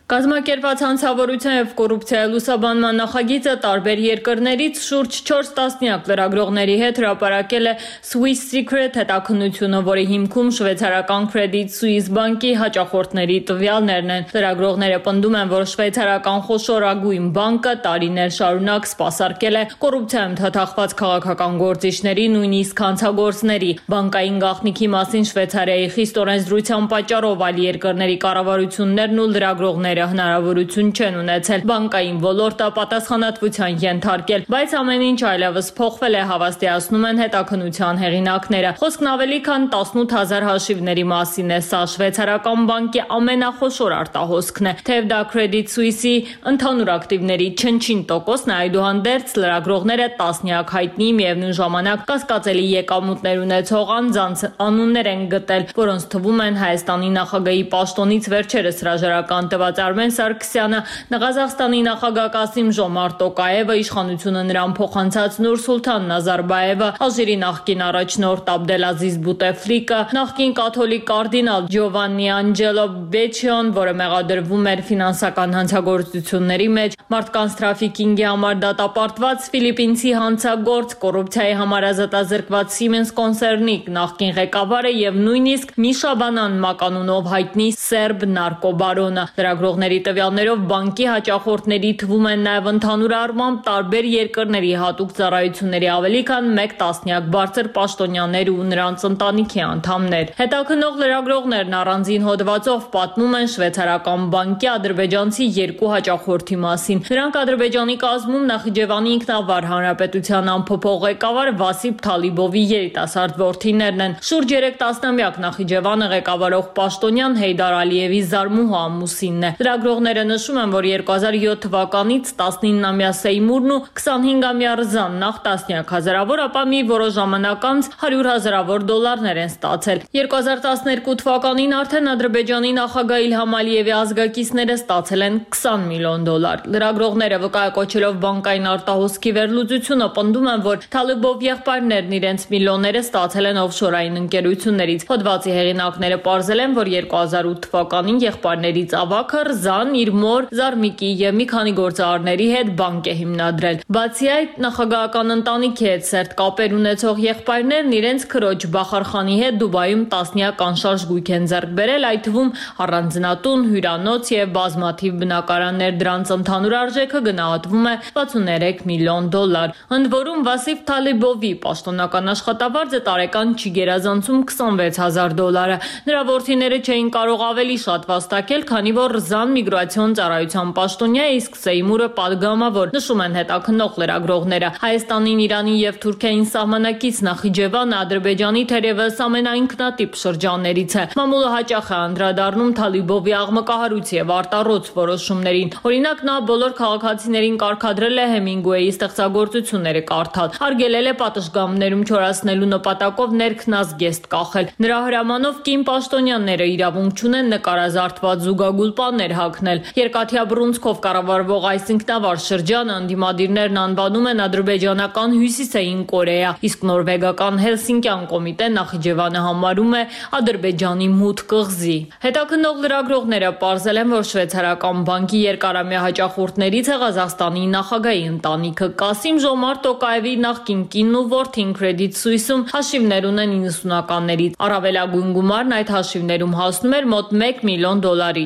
Կազմակերպված հանցավորության եւ կոռուպցիայի լուսաբանման նախագիծը տարբեր երկրներից շուրջ 4 տասնյակ լրագրողների հետ հրապարակել է Swiss Secret հետաքննությունը, որի հիմքում շվեյցարական Credit Suisse բանկի հաճախորդների տվյալներն են։ Լրագրողները պնդում են, որ շվեյցարական խոշորագույն բանկը տարիներ շարունակ սպասարկել է կոռուպցիայում թաթախված քաղաքական գործիչների, նույնիսկ հանցագործների։ Բանկային գաղտնիքի մասին Շվեյցարիայի խիստ օրենսդրության պատճառով այլ երկրների կառավարություններն ու լրագրողները հնարավորություն չեն ունեցել բանկային ոլորտը պատասխանատվության ենթարկել, բայց ամեն ինչ այլևս փոխվել է, հավաստիացնում են հետաքննության հեղինակները։ Խոսքն ավելի քան 18000 հաշիվների մասին է, սա շվեյցարական բանկի ամենախոշոր արտահոսքն է, թեև դա Credit Suisse-ի ընդհանուր ակտիվների չնչին տոկոսն է, այդուհանդերձ լրագրողները տասնյակ հայտնի միևնույն ժամանակ կասկածելի եկամուտներ ունեցող անձանց անուններ են գտել, որոնց թվում են Հայաստանի նախագահի պաշտոնից վերջերս հրաժարական տված Արմեն Սարգսյանը, Ղազախստանի նախագահ Կասիմ-Ժոմարտ Տոկաևը, իշխանությունը նրան փոխանցած Նուրսուլթան Նազարբաևը, Ալժիրի նախկին առաջնորդ Աբդելազիզ Բուտեֆլիկը, նախկին կաթոլիկ կարդինալ Ջովաննի Անջելո Բեչիոն, որը մեղադրվում էր ֆինանսական հանցագործությունների մեջ, մարդկանց տրաֆիկինգի համար դատապարտված ֆիլիպինցի հանցագործ, կոռուպցիայի համար ազատազրկված Siemens կոնցեռնի նախկին ղեկավարը եւ նույնիսկ Միշաբանան մականունով հայտնի սերբ նարկոբարոնը։ Լրագրողների տվյալներով բանկի հաճախորդների թվում են նաև ընդհանուր առմամբ տարբեր երկրների հատուկ ծառայությունների ավելի քան 1 տասնյակ բարձր պաշտոնյաներ ու նրանց ընտանիքի անդամներ։ Հետաքննող լրագրողներն առանձին հոդվածով պատմում են շվեյցարական բանկի ադրբեջանցի 2 հաճախորդի մասին։ Նրանք Ադրբեջանի կազմում Նախիջևանի ինքնավար հանրապետության անփոփոխ ղեկավար Վասիփ Թալիբովի երիտասարդ որդիներն են։ Շուրջ 3 տասնամյակ Նախիջևանը ղեկավարող պաշտոնյան Հեյդար Ալիևի զարմուհու ամուսինն է։ Լրագրողները նշում են, որ 2007 թվականից 19-ամյա Սեյմուրն ու 25-ամյա Ռզան նախ տասնյակ հազարավոր, ապա մի որոշ ժամանակ անց 100 հազարավոր դոլարներ են ստացել։ 2012 թվականին արդեն Ադրբեջանի նախագահ Իլհամ Ալիևի ազգակիցները ստացել են 20 միլիոն դոլար։ Լրագրողները վկայակոչելով բանկային արտահոսքի վերլուծությունը պնդում են, որ Թալիբով եղբայրներն իրենց միլիոնները ստացել են օֆշորային ընկերություններից։ Հոդվածի հեղինակները պարզել են, որ 2008 թվականին եղբայրներից ավագը Ռզան իր մոր Զարմիկի եւ մի քանի գործարարների հետ բանկ է հիմնադրել։ Բացի այդ, նախագահական ընտանիքի հետ սերտ կապեր ունեցող եղբայրներն իրենց քրոջ Բախարխանի հետ Դուբայում տասնյակ անշարժ գույք են ձեռք բերել, այդ թվում առանձնատուն, հյուրանոց եւ բազմաթիվ բնակարաններ, դրանց ընդհանուր արժեքը գնահատվում է 63 միլիոն դոլար։ Ընդ որում Վասիփ Թալիբովի պաշտոնական աշխատավարձը տարեկան չի գերազանցում 26000 դոլարը։ Նրա որդիները չէին կարող ավելի շատ վաստակել, քանի որ Ռզան միգրացիոն ծառայության պաշտոնյա է, իսկ Սեյմուրը падգամավոր, նշում են հետաքննող լրագրողները։ Հայաստանին, Իրանին եւ Թուրքիային սահմանակից Նախիջևանը Ադրբեջանի թերևս ամենաինքնատիպ շրջաններից է։ Մամուլը հաճախ է անդրադառնում Թալիբովի աղմկահարույց եւ արտառոց որոշումներին։ Օրինակ, նա բոլոր քաղաքացիներին կարգադրել է Հեմինգուեյի ստեղծագործությունները կարդալ, արգելել է պատշգամբներում չորացնելու նպատակով ներքնազգեստ կախել։ Նրա հրամանով կին պաշտոնյաները իրավունք չունեն նկարազարդված զուգագուլ պաններ հագնել։ Երկաթյա բռունցքով կառավարվող այս ինքնավար շրջանը ընդդիմադիրներն անվանում են ադրբեջանական Հյուսիսային Կորեա, իսկ նորվեգական Հելսինկյան կոմիտեն Նախիջևանը համարում է Ադրբեջանի մութ կղզի։ Հետաքննող լրագրողները պարզել են, որ շվեյցարական բանկի երկարամյա հաճախորդներից է Ղազախստանի նախագահի ընտանիքը։ Կասիմ-Ժոմարտ Տոկաևի նախկին կինն ու որդին Credit Suisse-ում հաշիվներ ունեն 90-ականներից։ Առավելագույն գումարն այդ հաշիվներում հասնում էր մոտ 1 միլիոն դոլարի։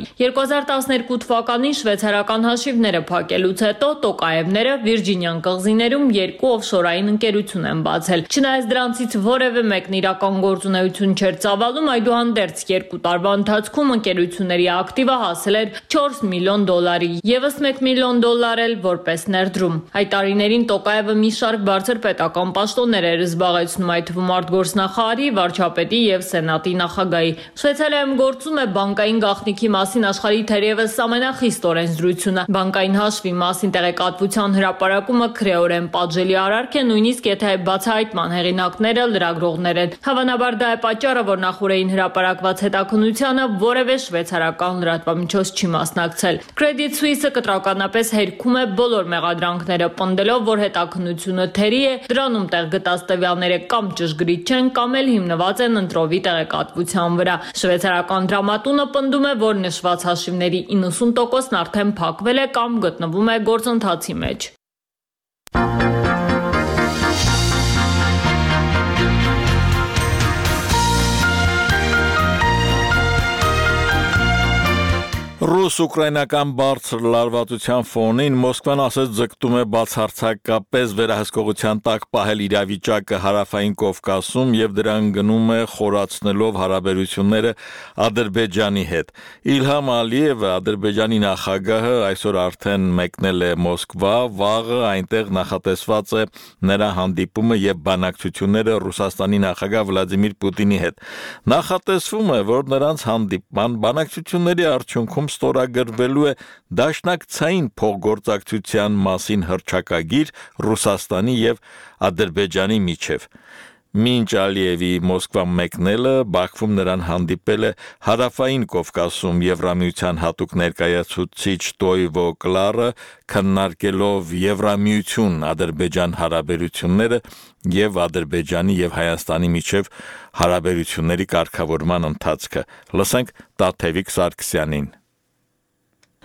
2012 թվականին շվեյցարական հաշիվները փակելուց հետո Տոկաևները Վիրջինյան կղզիներում 2 օֆշորային ընկերություն են բացել։ Չնայած դրանցից որևէ մեկն իրական գործունեություն չէր ծավալում, այդուհանդերձ 2 տարվա ընթացքում ընկերությունների ակտիվը հասել էր $4 միլիոն, եւս $1 միլիոն էլ որպես ներդրում։ Այդ տարիներին Տոկաևը մի շարք բարձր պետական պաշտոններ էր զբաղեցնում, այդ թվում արտգործնախարարի, վարչապետի եւ սենատի նախագահի։ Շվեյցարիայում գործում է բանկային գաղտնիքի մասին աշխարհի թերևս ամենախիստ օրենսդրությունը։ Բանկային հաշվի մասին տեղեկատվության հրապարակումը քրեորեն պատժելի արարք է, նույնիսկ եթե բացահայտման հեղինակները լրագրողներ են։ Հավանաբար դա է պատճառը, որ նախորդին հրապարակված հետաքննությանը որևէ շվեյցարական լրատվամիջոց չի մասնակցել։ Credit Suisse-ը կտրականապես հերքում է բոլոր մեղադրանքները, պնդելով, որ հետաքննությունը թերի է, դրանում տեղ գտած տվյալները կամ ճշգրիտ չեն, կամ էլ հիմնված են ընտրովի տեղեկատվության վրա։ Շվեյցարական դրամատունը պնդում է, որ նշված հաշիվների 90%-ն արդեն փակվել է կամ գտնվում է գործընթացի մեջ։ Ռուս-ուկրաինական բարձր լարվածության ֆոնին Մոսկվան ասաց ձգտում է բացարձակապես վերահսկողության տակ պահել իրավիճակը հարավային Կովկասում եւ դրան գնում է խորացնելով հարաբերությունները Ադրբեջանի հետ։ Իլհամ Ալիևը, Ադրբեջանի նախագահը, այսօր արդեն մեկնել է Մոսկվա, վաղը այնտեղ նախատեսված է նրա հանդիպումը եւ բանակցությունները Ռուսաստանի նախագահ Վլադիմիր Պուտինի հետ։ Նախատեսվում է, որ նրանց հանդիպման բանակցությունների արդյունքում ստորագրվելու է դաշնակցային փոխգործակցության մասին հռչակագիր Ռուսաստանի եւ Ադրբեջանի միջև։ Մինչ Ալիևի Մոսկվա մեկնելը Բաքվում նրան հանդիպել է հարավային Կովկասում Եվրամիության հատուկ ներկայացուցիչ Տոյվո Կլարը, քննարկելով Եվրամիություն-Ադրբեջան հարաբերությունները եւ Ադրբեջանի եւ Հայաստանի միջև հարաբերությունների կարգավորման ընթացքը։ Լսենք Տաթևիկ Սարգսյանին։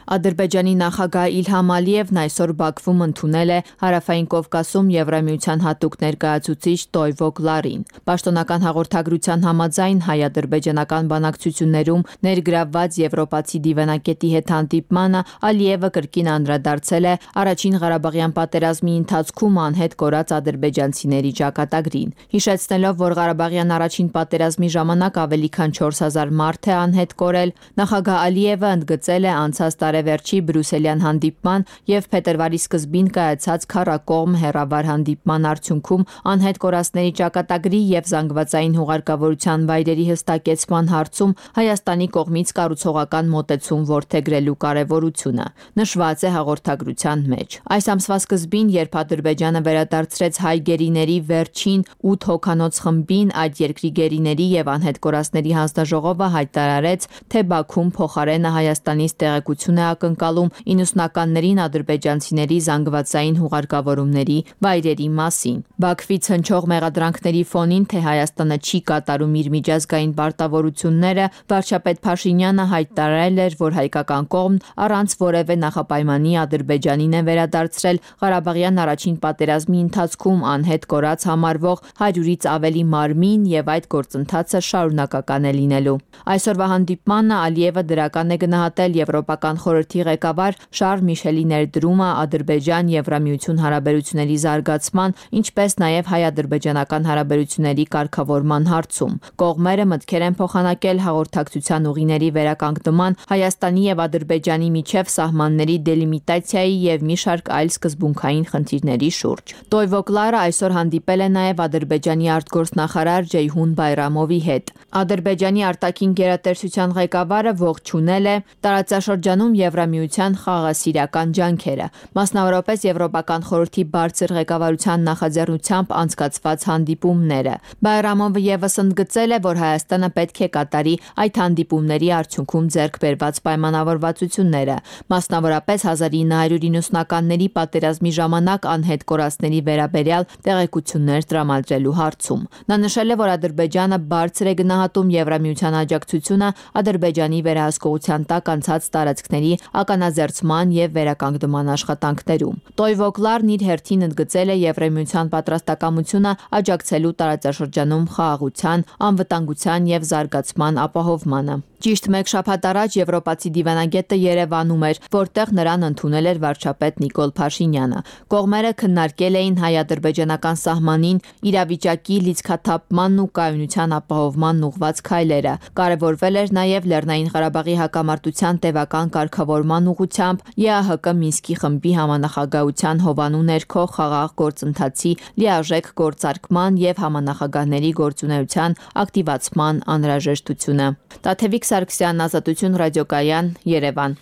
Ադրբեջանի նախագահ Իլհամ Ալիևն այսօր Բաքվում ընդունել է հարավային Կովկասում Եվրամիության հատուկ ներկայացուցիչ Տոյվո Կլարին։ Պաշտոնական հաղորդագրության համաձայն հայ-ադրբեջանական բանակցություններում ներգրավված եվրոպացի դիվանագետի հետ հանդիպմանը Ալիևը կրկին անդրադարձել է առաջին Ղարաբաղյան պատերազմի ընթացքում անհետ կորած ադրբեջանցիների ճակատագրին, հիշեցնելով, որ Ղարաբաղյան առաջին պատերազմի ժամանակ ավելի քան 4000 մարդ է անհետ կորել, նախագահ Ալիևը ընդգծել է անցած տարեվերջի բրյուսելյան հանդիպման եւ փետրվարի սկզբին կայացած քառակողմ հեռավար հանդիպման արդյունքում անհետ կորածների ճակատագրի եւ զանգվածային հուղարկավորության վայրերի հստակեցման հարցում Հայաստանի կողմից կառուցողական մոտեցում որդեգրելու կարեւորությունը նշված է հաղորդագրության մեջ։ Այս ամսվա սկզբին, երբ Ադրբեջանը վերադարձրեց հայ գերիների վերջին 8 հոգանոց խմբին, այդ երկրի գերիների եւ անհետ կորածների հանձնաժողովը հայտարարեց, թե Բաքուն փոխարենը Հայաստանից տեղեկություն է ակնկալում 90-ականներին ադրբեջանցիների զանգվածային հուղարկավորումների վայրերի մասին։ Բաքվից հնչող մեղադրանքների ֆոնին, թե Հայաստանը չի կատարում իր միջազգային պարտավորությունները, վարչապետ Փաշինյանը հայտարարել էր, որ հայկական կողմն առանց որևէ նախապայմանի Ադրբեջանին է վերադարձրել Ղարաբաղյան առաջին պատերազմի ընթացքում անհետ կորած համարվող 100-ից ավելի մարմին եւ այդ գործընթացը շարունակական է լինելու։ Այսօրվա հանդիպմանը Ալիևը դրական է գնահատել Եվրոպական խորհրդի ղեկավար Շարլ Միշելի ներդրումը Ադրբեջան-Եվրամիություն հարաբերությունների զարգացման, ինչպես նաեւ հայ-ադրբեջանական հարաբերությունների կարգավորման հարցում։ Կողմերը մտքեր են փոխանակել հաղորդակցության ուղիների վերականգնման, Հայաստանի եւ Ադրբեջանի միջև սահմանների դելիմիտացիայի եւ մի շարք այլ սկզբունքային խնդիրների շուրջ։ Տոյվո Կլարը այսօր հանդիպել է նաեւ Ադրբեջանի արտգործնախարար Ջեյհուն Բայրամովի հետ։ Ադրբեջանի արտաքին գերատեսչության ղեկավարը ողջունել է տարածաշրջանում Եվրամիության խաղաղասիրական ջանքերը, մասնավորապես Եվրոպական խորհրդի բարձր ղեկավարության նախաձեռնությամբ անցկացված հանդիպումները։ Բայրամովը եւս ընդգծել է, որ Հայաստանը պետք է կատարի այդ հանդիպումների արդյունքում ձեռք բերված պայմանավորվածությունները, մասնավորապես 1990-ականների պատերազմի ժամանակ անհետ կորածների վերաբերյալ տեղեկություններ տրամադրելու հարցում։ Նա նշել է, որ Ադրբեջանը բարձր է գնահատում Եվրամիության աջակցությունը Ադրբեջանի վերահսկողության տակ անցած տարածքների ականաձերծման եւ վերականգնման աշխատանքներում։ Տոյվոկլարն իր հերթին ընդգծել է Եվրամիության պատրաստակամությունը աջակցելու տարածաշրջանում խաղաղության, անվտանգության եւ զարգացման ապահովմանը։ Ճիշտ մեկ շաբաթ առաջ եվրոպացի դիվանագետը Երևանում էր, որտեղ նրան ընդունել էր վարչապետ Նիկոլ Փաշինյանը։ Կողմերը քննարկել էին հայ-ադրբեջանական սահմանին իրավիճակի լիցքաթափմանն ու կայունության ապահովմանն ուղղված քայլերը։ Կարևորվել էր նաև Լեռնային Ղարաբաղի հակամարտության տևական կարգավորման ուղղությամբ ԵԱՀԿ Մինսկի խմբի համանախագահության հովանու ներքո խաղաղ գործընթացի լիարժեք գործարկման եւ համանախագահների գործունեության ակտիվացման անհրաժեշտությունը։ Տաթևիկ Սարգսյան, Ազատություն ռադիոկայան, Երևան։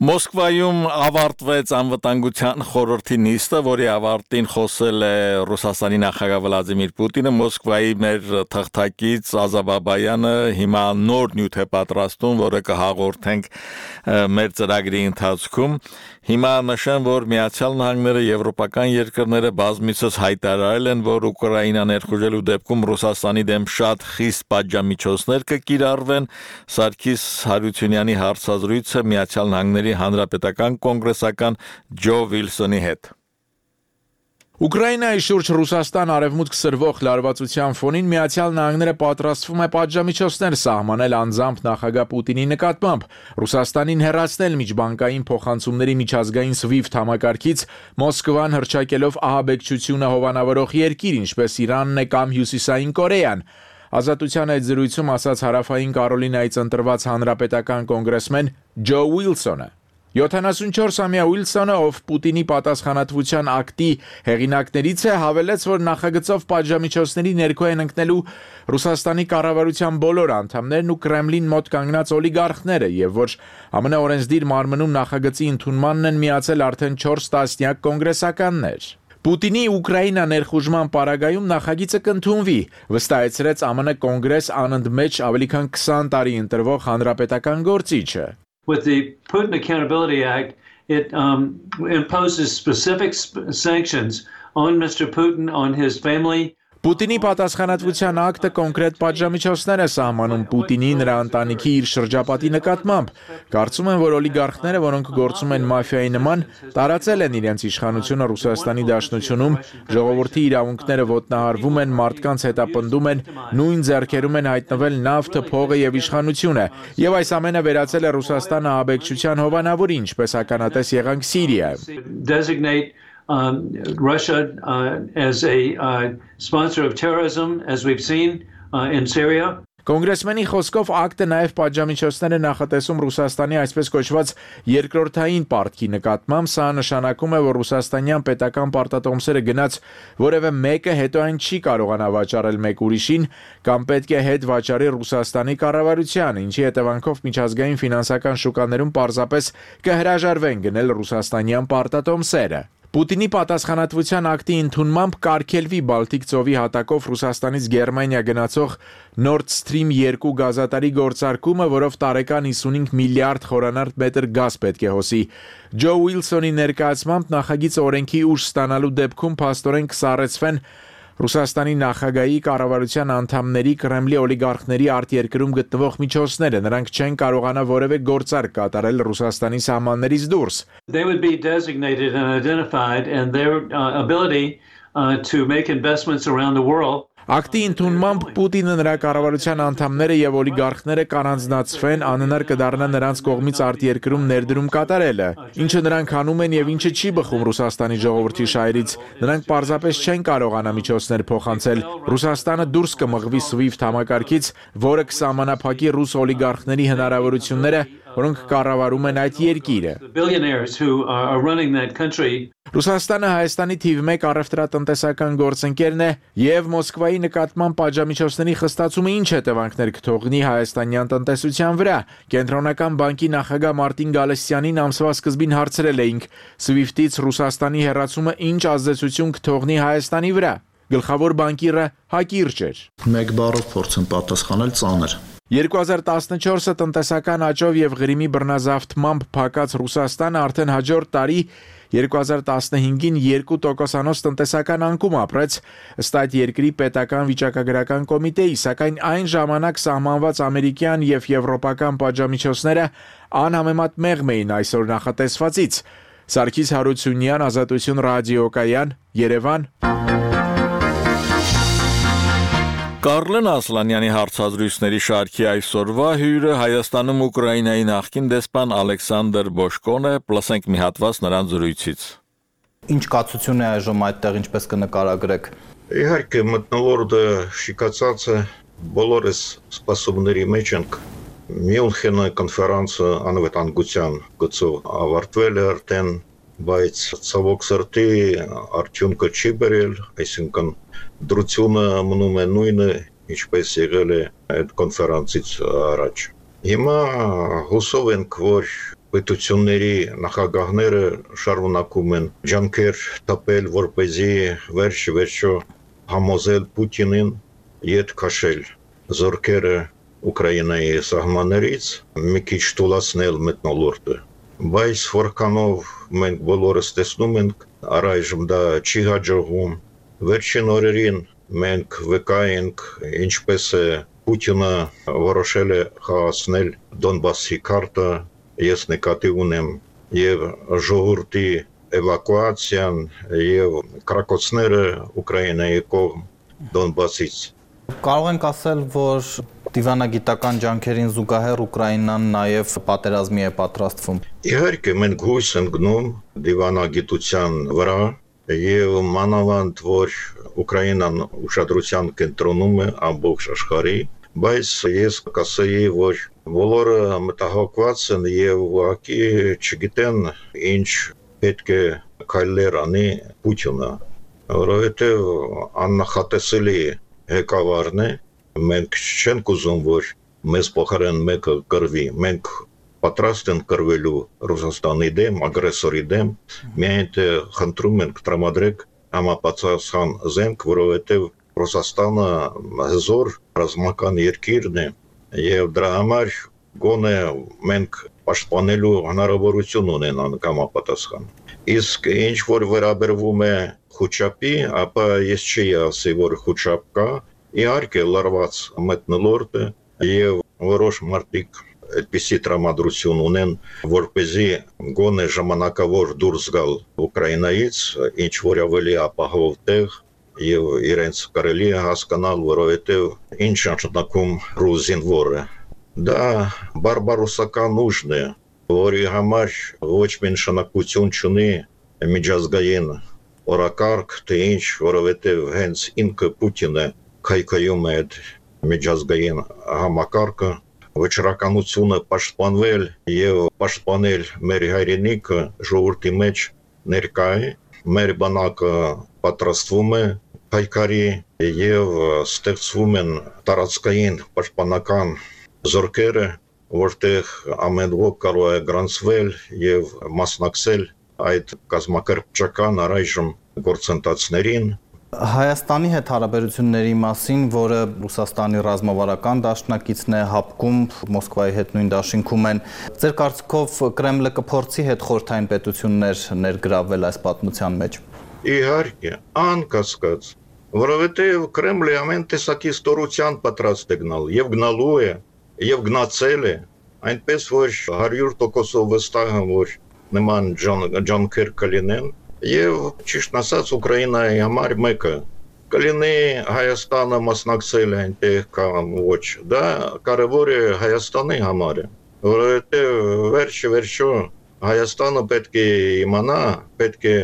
Մոսկվայում ավարտվեց անվտանգության խորհրդի նիստը, որի ավարտին խոսել է Ռուսաստանի նախագահ Վլադիմիր Պուտինը։ Մոսկվայի մեր թղթակից Ազա Բաբայանը հիմա նոր նյութ է պատրաստում, որը կհաղորդենք մեր ծրագրի ընթացքում։ Հիմա նշեմ, որ Միացյալ Նահանգները եվրոպական երկրները բազմիցս հայտարարել են, որ Ուկրաինա ներխուժելու դեպքում Ռուսաստանի դեմ շատ խիստ պատժամիջոցներ կկիրառվեն։ Սարգիս Հարությունյանի հարցազրույցը Միացյալ Նահանգների հանրապետական կոնգրեսական Ջո Վիլսոնի հետ։ Ուկրաինայի շուրջ Ռուսաստան արևմուտք սրվող լարվածության ֆոնին Միացյալ Նահանգները պատրաստվում է պատժամիջոցներ սահմանել անձամբ նախագահ Պուտինի նկատմամբ, Ռուսաստանին հեռացնել միջբանկային փոխանցումների միջազգային SWIFT համակարգից, Մոսկվան հռչակելով ահաբեկչությունը հովանավորող երկիր, ինչպես Իրանն է կամ Հյուսիսային Կորեան։ Ազատության այդ զրույցում ասաց Հարավային Կարոլինայից ընտրված հանրապետական կոնգրեսմեն Ջո Ուիլսոնը։ 74-ամյա Ուիլսոնը, ով Պուտինի պատասխանատվության ակտի հեղինակներից է, հավելեց, որ նախագծով պատժամիջոցների ներքո են ընկնելու Ռուսաստանի կառավարության բոլոր անդամներն ու Կրեմլին մոտ կանգնած օլիգարխները, եւ որ ԱՄՆ օրենսդիր մարմնում նախագծի ընդունմանն են միացել արդեն 4 տասնյակ կոնգրեսականներ։ Պուտինի Ուկրաինա ներխուժման պարագայում նախագիծը կընդունվի, վստահեցրեց ԱՄՆ կոնգրես անընդմեջ ավելի քան 20 տարի ընտրվող հանրապետական գործիչը։ With the Putin Accountability Act, it imposes specific sanctions on Mr. Putin, on his family. Պուտինի պատասխանատվության ակտը կոնկրետ պատժամիջոցներ է սահմանում Պուտինի, նրա ընտանիքի, իր շրջապատի նկատմամբ։ Կարծում եմ, որ օլիգարխները, որոնք գործում են մաֆիայի նման, տարածել են իրենց իշխանությունը Ռուսաստանի Դաշնությունում, ժողովրդի իրավունքները ոտնահարվում են, մարդկանց հետապնդում են, նույն ձեռքերում են հայտնվել նավթը, փողը եւ իշխանությունը, եւ այս ամենը վերածել է Ռուսաստանը ահաբեկչության հովանավորի, ինչպես ականատես եղանք Սիրիայում։ Russia as a sponsor of terrorism, as we've seen in Syria. Կոնգրեսմենի խոսքով ակտը նաև պատժամիջոցներ է նախատեսում Ռուսաստանի այսպես կոչված երկրորդային պարտքի նկատմամբ, սա նշանակում է, որ ռուսաստանյան պետական պարտատոմսերը գնաց որևէ մեկը հետո այն չի կարողանա վաճառել մեկ ուրիշին կամ պետք է հետ վաճառի Ռուսաստանի կառավարությանը, ինչի հետևանքով միջազգային ֆինանսական շուկաներում պարզապես կհրաժարվեն գնել ռուսաստանյան պարտատոմսերը։ Պուտինի պատասխանատվության ակտի ընդունմամբ կարգելվի Բալտիկ ծովի հատակով Ռուսաստանից Գերմանիա գնացող Nord Stream 2 գազատարի գործարկումը, որով տարեկան 55 միլիարդ խորանարդ մետր գազ պետք է հոսի։ Ջո Ուիլսոնի ներկայացմամբ նախագիծը օրենքի ուժ ստանալու դեպքում փաստորեն կսառեցվեն Ռուսաստանի նախագահի կառավարության անդամների Կրեմլի օլիգարխների արտերկրում գտնվող միջոցները, նրանք չեն կարողանա որևէ գործարք կատարել Ռուսաստանի սահմաններից դուրս։ They would be designated and identified and their ability to make investments around the world. Ակտի ընդունմամբ Պուտինը, նրա կառավարության անդամները եւ օլիգարխները կանանձնացվեն, անհնար կդառնա նրանց կողմից արտերկրում ներդրում կատարելը, ինչը նրանք անում են եւ ինչը չի բխում Ռուսաստանի ժողովրդի շահերից։ Նրանք պարզապես չեն կարողանա միջոցներ փոխանցել։ Ռուսաստանը դուրս կմղվի SWIFT համակարգից, որը կսահմանափակի ռուս օլիգարխների հնարավորությունները որոնք կառավարում են այդ երկիրը։ Ռուսաստանը Հայաստանի թիվ 1 առևտրատնտեսական գործընկերն է եւ Մոսկվայի նկատմամբ պատժամիջոցների խստացումը ինչ հետևանքներ կթողնի հայաստանյան տնտեսության վրա։ Կենտրոնական բանկի նախագահ Մարտին Գալստյանին ամսվա սկզբին հարցրել էինք. SWIFT-ից Ռուսաստանի հեռացումը ինչ ազդեցություն կթողնի Հայաստանի վրա։ Գլխավոր բանկիրը հակիրճ էր։ Մեկ բառով փորձեմ պատասխանել ծանր։ 2014-ը տնտեսական աճով եւ Ղրիմի բռնազավթմամբ փակած Ռուսաստանը արդեն հաջորդ տարի 2015-ին 2% տնտեսական անկում ապրեց, ըստ այդ երկրի պետական վիճակագրական կոմիտեի, սակայն այն ժամանակ սահմանված ամերիկյան եւ եվրոպական պատժամիջոցները անհամեմատ մեղմ էին այսօր նախատեսվածից։ Սարգիս Հարությունյան, Ազատություն ռադիոկայան, Երևան։ Կարլեն Ասլանյանի հարցազրույցների շարքի այսօրվա հյուրը Հայաստանում Ուկրաինայի նախկին դեսպան Ալեքսանդր Բոշկոն է, լսենք մի հատված նրան զրույցից։ Ինչ կացություն է այժմ այդտեղ, ինչպես կնկարագրեք։ Իհարկե մթնոլորտը շիկացած է, բոլորս սպասումների մեջ ենք։ Մյունխենի կոնֆերանսը անվտանգության գծով ավարտվել է արդեն, բայց ցավոք սրտի արդյունքը չի բերել, այսինքն դրությունը մնում է նույնը, ինչպես եղել է այդ կոնֆերանսից առաջ։ Հիմա հուսով ենք, որ պետությունների նախագահները շարունակում են ջանքեր տապել, որպեսզի վերջ-վերջո համոզել Պուտինին ետ քաշել զորքերը Ուկրաինայի սահմաններից, մի քիչ թուլացնել մթնոլորտը։ Բայց որքանով մենք բոլորս տեսնում ենք, առայժմ դա չի հաջողվում։ Վերջին օրերին մենք վկայենք, ինչպես է Պուտինը որոշել է խաղացնել Դոնբասի քարտը, ես նկատի ունեմ եւ ժողովրդի էվակուացիան եւ կրակոցները Ուկրաինայի կողմ Դոնբասից։ Կարող ենք ասել, որ դիվանագիտական ջանքերին զուգահեռ Ուկրաինան նաև պատերազմի է պատրաստվում։ Իհարկե մենք հույս ենք գնում դիվանագիտության վրա եւ մանավանդ որ Ուկրաինան ուշադրության կենտրոնում է ամբողջ աշխարհի, բայց ես կասեի, որ բոլորը մտահոգված են եւ ուղղակի չգիտեն ինչ պետք է քայլեր անի Պուտինը, որովհետեւ աննախատեսելի ղեկավարն է։ Մենք չենք ուզում, որ մեզ փոխարեն մեկը կռվի, մենք պատրաստ ենք կռվելու Ռուսաստանի դեմ, ագրեսորի դեմ, միայն թե խնդրում ենք տրամադրեք համապատասխան զենք, որովհետև Ռուսաստանը հզոր ռազմական երկիրն է եւ դրա համար գոնե մենք պաշտպանելու հնարավորություն ունենանք համապատասխան։ Իսկ ինչ որ վերաբերվում է խոչապի, ապա ես չի ասի, որ խոչապ կա, իհարկե լարված մթնոլորտը եւ որոշ մարդիկ այդպիսի տրամադրություն ունեն, որպեսզի գոնե ժամանակավոր դուրս գալ Ուկրաինայից, ինչ որ ավելի ապահով տեղ եւ իրենց կարելի է հասկանալ, որովհետեւ ինչ նշանակում ռուս զինվորը։ Դա բարբարոսական ուժն է, որի համար ոչ մի նշանակություն չունի միջազգային օրակարգ, թե ինչ, որովհետեւ հենց ինքը Պուտինը քայքայում է այդ միջազգային համակարգը, վճռականությունը պաշտպանվել եւ պաշտպանել մեր հայրենիքը ժողովրդի մեջ ներկա է, մեր բանակը պատրաստվում է պայքարի եւ ստեղծվում են տարածքային պաշտպանական զորքերը, որտեղ ամեն ոք կարող է գրանցվել եւ մասնակցել այդ կազմակերպչական առայժմ գործընթացներին։ Հայաստանի հետ հարաբերությունների մասին, որը Ռուսաստանի ռազմավարական դաշնակիցն է, հապկում Մոսկվայի հետ նույն դաշինքում են, ձեր կարծիքով Կրեմլը կփորձի հետ խորհրդային պետություններ ներգրավել այս պատմության մեջ։ Իհարկե, անկասկած, որովհետև Կրեմլը ամեն տեսակի ստորության պատրաստ է գնալ եւ գնալու է եւ գնացել է, այնպես որ 100% վստահ եմ, որ նման ջանքեր կլինեն։ Եվ ճիշտ ասած Ուկրաինայի համար մեկը կլինի Հայաստանը մասնակցել այնտեղ կամ ոչ, դա կարևոր է Հայաստանի համար, որովհետև վերջ-վերջո Հայաստանը պետք է իմանա, պետք է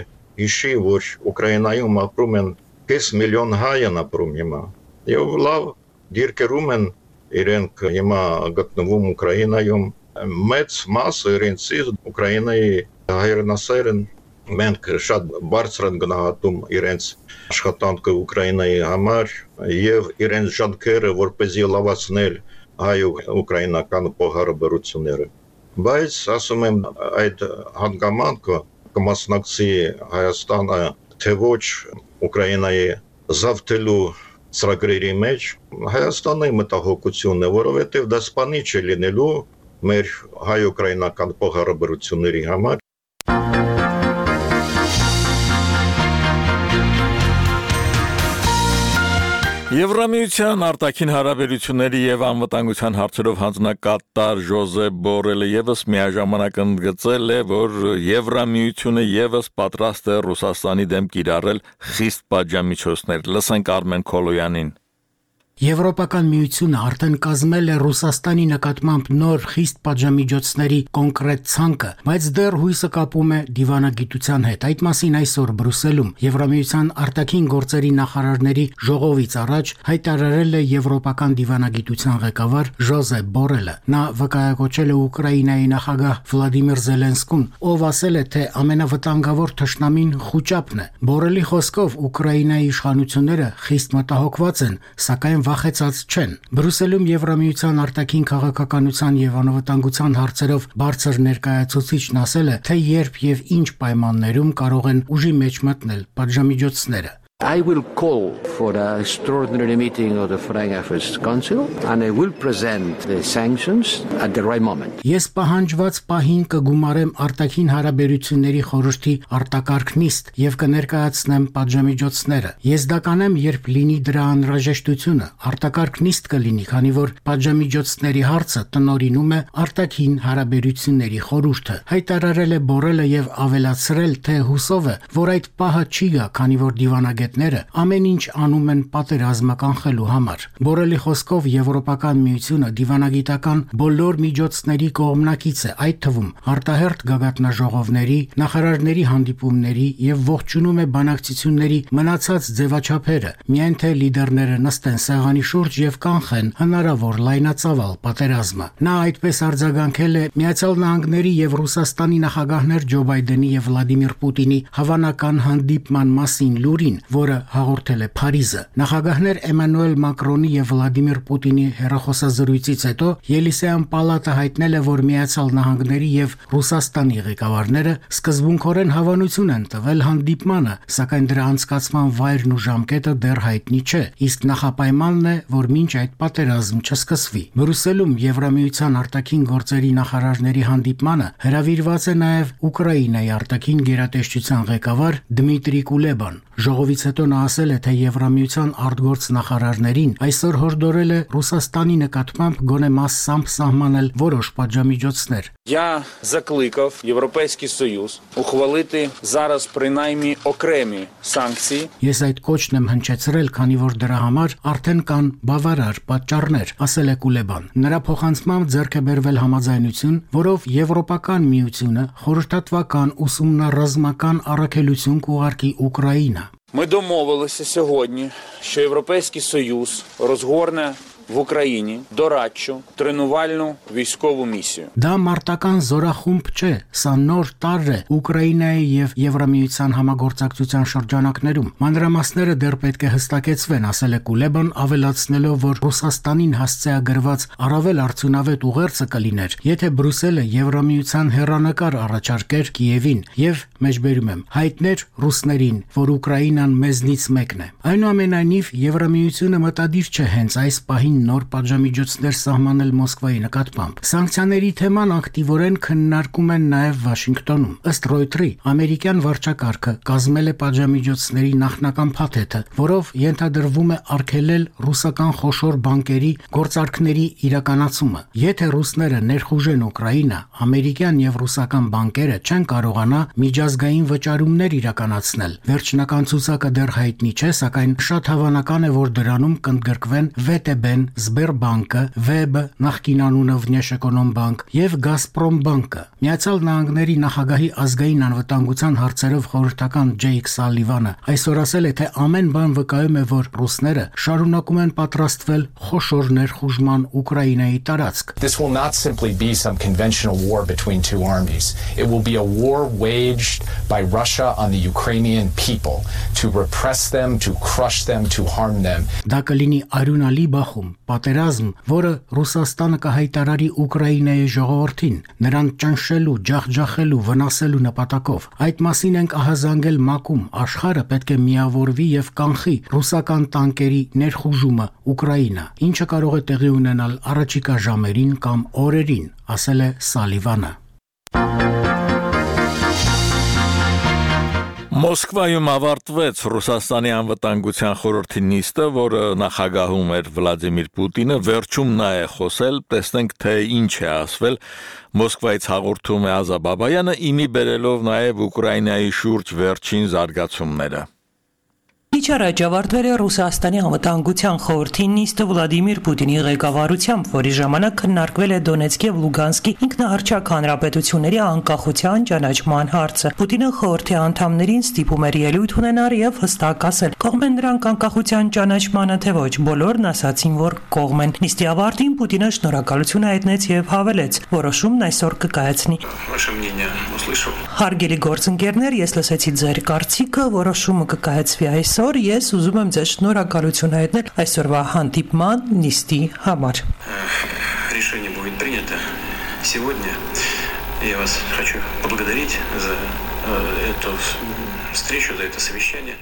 հիշի, որ Ուկրաինայում ապրում են 5 միլիոն հայ են ապրում հիմա, եւ լավ դիրքերում են իրենք հիմա գտնվում Ուկրաինայում, մեծ մասը իրենցի Ուկրաինայի հայրենասեր են մենք շատ բարձր են գնահատում իրենց աշխատանքը Ուկրաինայի համար եւ իրենց ջանքերը որպեսզի լավացնել հայ-ուկրաինական փոխհարաբերությունները բայց ասում եմ այդ հանգամանքը կմասնակցի Հայաստանը թե ոչ Ուկրաինայի զավթելու ծրագրերի մեջ Հայաստանի մտահոգությունն է որովհետեւ դա սպանիչ է լինելու մեր հայ-ուկրաինական փոխհարաբերությունների համար Եվրամիության արտաքին հարաբերությունների եւ անվտանգության հարցերով հանձնակատար Ժոզեփ Բորելը եւս միաժամանակ ընդգծել է, որ Եվրամիությունը եւս պատրաստ է Ռուսաստանի դեմ կիրառել խիստ պատժամիջոցներ։ Լսենք Արմեն Քոլոյանին։ Եվրոպական միությունը արդեն կազմել է Ռուսաստանի նկատմամբ նոր խիստ պատժամիջոցների կոնկրետ ցանկը, բայց դեռ հույսը կապում է դիվանագիտության հետ։ Այդ մասին այսօր Բրյուսելում Եվրամիության արտաքին գործերի նախարարների ժողովից առաջ հայտարարել է եվրոպական դիվանագիտության ղեկավար Ժոզեփ Բորելը։ Նա վկայակոչել է Ուկրաինայի նախագահ Վլադիմիր Զելենսկուն, ով ասել է, թե ամենավտանգավոր թշնամին խուճապն է։ Բորելի խոսքով Ուկրաինայի իշխանությունները խիստ մտահոգված են, սակայն վախեցած չեն։ Բրյուսելում Եվրամիության արտաքին քաղաքականության եւ անվտանգության հարցերով բարձր ներկայացուցիչն ասել է, թե երբ եւ ինչ պայմաններում կարող են ուժի մեջ մտնել պատժամիջոցները։ I will call for an extraordinary meeting of the Foreign Affairs Council and I will present the sanctions at the right moment. Ես պահանջված պահին կգումարեմ արտաքին հարաբերությունների խորհրդի արտակարգ նիստ եւ կներկայացնեմ պատժամիջոցները։ Ես դա կանեմ, երբ լինի դրա անհրաժեշտությունը։ Արտակարգ նիստ կլինի, քանի որ պատժամիջոցների հարցը տնօրինում է արտաքին հարաբերությունների խորհուրդը։ Հայտարարել է Բորելը եւ ավելացրել, թե հուսով է, որ այդ պահը չի գա, քանի որ դիվանագետները ամեն ինչ անում են պատերազմը կանխելու համար։ Բորելի խոսքով Եվրոպական միությունը դիվանագիտական բոլոր միջոցների կողմնակից է, այդ թվում արտահերթ գագաթնաժողովների, նախարարների հանդիպումների եւ ողջունում է բանակցությունների մնացած ձևաչափերը, միայն թե լիդերները նստեն սեղանի շուրջ եւ կանխեն հնարավոր լայնածավալ պատերազմը։ Նա այդպես արձագանքել է Միացյալ Նահանգների եւ Ռուսաստանի նախագահներ Ջո Բայդենի եւ Վլադիմիր Պուտինի հավանական հանդիպման մասին լուրին, որը հաղորդել է Փարիզը։ Նախագահներ Էմանուել Մակրոնի եւ Վլադիմիր Պուտինի հեռախոսազրույցից հետո Ելիսեյան պալատը հայտնել է, որ Միացյալ Նահանգների եւ Ռուսաստանի ղեկավարները սկզբունքորեն հավանություն են տվել հանդիպմանը, սակայն դրա անցկացման վայրն ու ժամկետը դեռ հայտնի չէ, իսկ նախապայմանն է, որ մինչ այդ պատերազմ չսկսվի։ Բրյուսելում Եվրամիության արտաքին գործերի նախարարների հանդիպմանը հրավիրված է նաեւ Ուկրաինայի արտաքին գերատեսչության ղեկավար Դմիտրի Կուլեբան։ Ժողովից հետո նա ասել է, թե Եվրամիության արտգործ նախարարներին այսօր հորդորել է Ռուսաստանի նկատմամբ գոնե մասամբ սահմանել որոշ պատժամիջոցներ։ Я закликав Європейський Союз ухвалити зараз принаймні окремі санкції. Ես այդ կոչն եմ հնչեցրել, քանի որ դրա համար արդեն կան բավարար պատճառներ, ասել է Կուլեբան։ Նրա փոխանցմամբ ձեռք է բերվել համաձայնություն, որով Եվրոպական միությունը խորհրդատվական ուսումնառազմական առաքելություն կուղարկի Ուկրաինա։ Ми домовилися сьогодні, що Європейський Союз розгорне в Україні дорадчу тренувальну військову місію. Դա մարտական զորախումբ չէ, սա նոր տարր է Ուկրաինայի եւ Եվրամիության համագործակցության շրջանակներում։ Մանրամասները դեռ պետք է հստակեցվեն, ասել է Կուլեբան, ավելացնելով, որ Ռուսաստանին հասցեագրված առավել արդյունավետ ուղերձը կլիներ, եթե Բրյուսելը Եվրամիության հեռանկար առաջարկեր Կիևին եւ մեջբերում եմ հայտներ ռուսներին, որ Ուկրաինան մեզնից մեկն է։ Այնուամենայնիվ Եվրամիությունը մտադիր չէ հենց այս պահին նոր պատժամիջոցներ սահմանել Մոսկվայի նկատմամբ։ Սանկցիաների թեման ակտիվորեն քննարկում են նաև Վաշինգտոնում։ Ըստ Ռոյթերի, ամերիկյան վարչակարգը կազմել է պատժամիջոցների նախնական փաթեթը, որով ենթադրվում է արգելել ռուսական խոշոր բանկերի գործարքների իրականացումը։ Եթե ռուսները ներխուժեն Ուկրաինա, ամերիկյան եւ ռուսական բանկերը չեն կարողանա միջազգային վճարումներ իրականացնել։ Վերջնական ցուցակը դեռ հայտնի չէ, սակայն շատ հավանական է, որ դրանում կընդգրկվեն VTB-ն Sberbank-ը, Web-ը, նախկին անունը Внешэкономбанк եւ Gazprombank-ը։ Միացյալ Նահանգների նախագահի ազգային անվտանգության հարցերով խորհրդական Ջեյք Սալիվանը այսօր ասել է, թե ամեն բան վկայում է, որ ռուսները շարունակում են պատրաստվել խոշոր ներխուժման Ուկրաինայի տարածք։ This will not simply be some conventional war between two armies. It will be a war waged by Russia on the Ukrainian people to repress them, to crush them, to harm them. Դա կլինի արյունալի բախում, պատերազմ, որը Ռուսաստանը կհայտարարի Ուկրաինայի ժողովրդին, նրան ճնշելու, ջախջախելու, վնասելու նպատակով։ Այդ մասին ենք ահազանգել ՄԱԿ-ում, աշխարհը պետք է միավորվի եւ կանխի ռուսական տանկերի ներխուժումը Ուկրաինա, ինչը կարող է տեղի ունենալ առաջիկա ժամերին կամ օրերին, ասել է Սալիվանը։ Մոսկվայում ավարտվեց Ռուսաստանի անվտանգության խորհրդի նիստը, որը նախագահում էր Վլադիմիր Պուտինը, վերջում նա է խոսել, տեսնենք թե ինչ է ասվել։ Մոսկվայից հաղորդում է Ազա Բաբայանը, իմի բերելով նաև Ուկրաինայի շուրջ վերջին զարգացումները։ Քիչ առաջ ավարտվել է Ռուսաստանի անվտանգության խորհրդի նիստը Վլադիմիր Պուտինի ղեկավարությամբ, որի ժամանակ քննարկվել է Դոնեցկ եւ Լուգանսկի ինքնահռչակ հանրապետությունների անկախության ճանաչման հարցը։ Պուտինը խորհրդի անդամներին ստիպում էր ելույթ ունենալ եւ հստակ ասել՝ կողմ են նրանք անկախության ճանաչմանը, թե ոչ։ Բոլորն ասացին, որ կողմ են։ Նիստի ավարտին Պուտինը շնորհակալություն հայտնեց եւ հավելեց՝ որոշումն այսօր կկայացնի։ Հարգելի գործընկերներ, ես լսեցի ձեր կարծիքը, որոշումը կկայացվի այսօր, ես ուզում եմ ձեզ շնորհակալություն հայտնել այսօրվա հանդիպման նիստի համար։ Решение будет принято сегодня. Я вас хочу поблагодарить за эту встречу, за это совещание.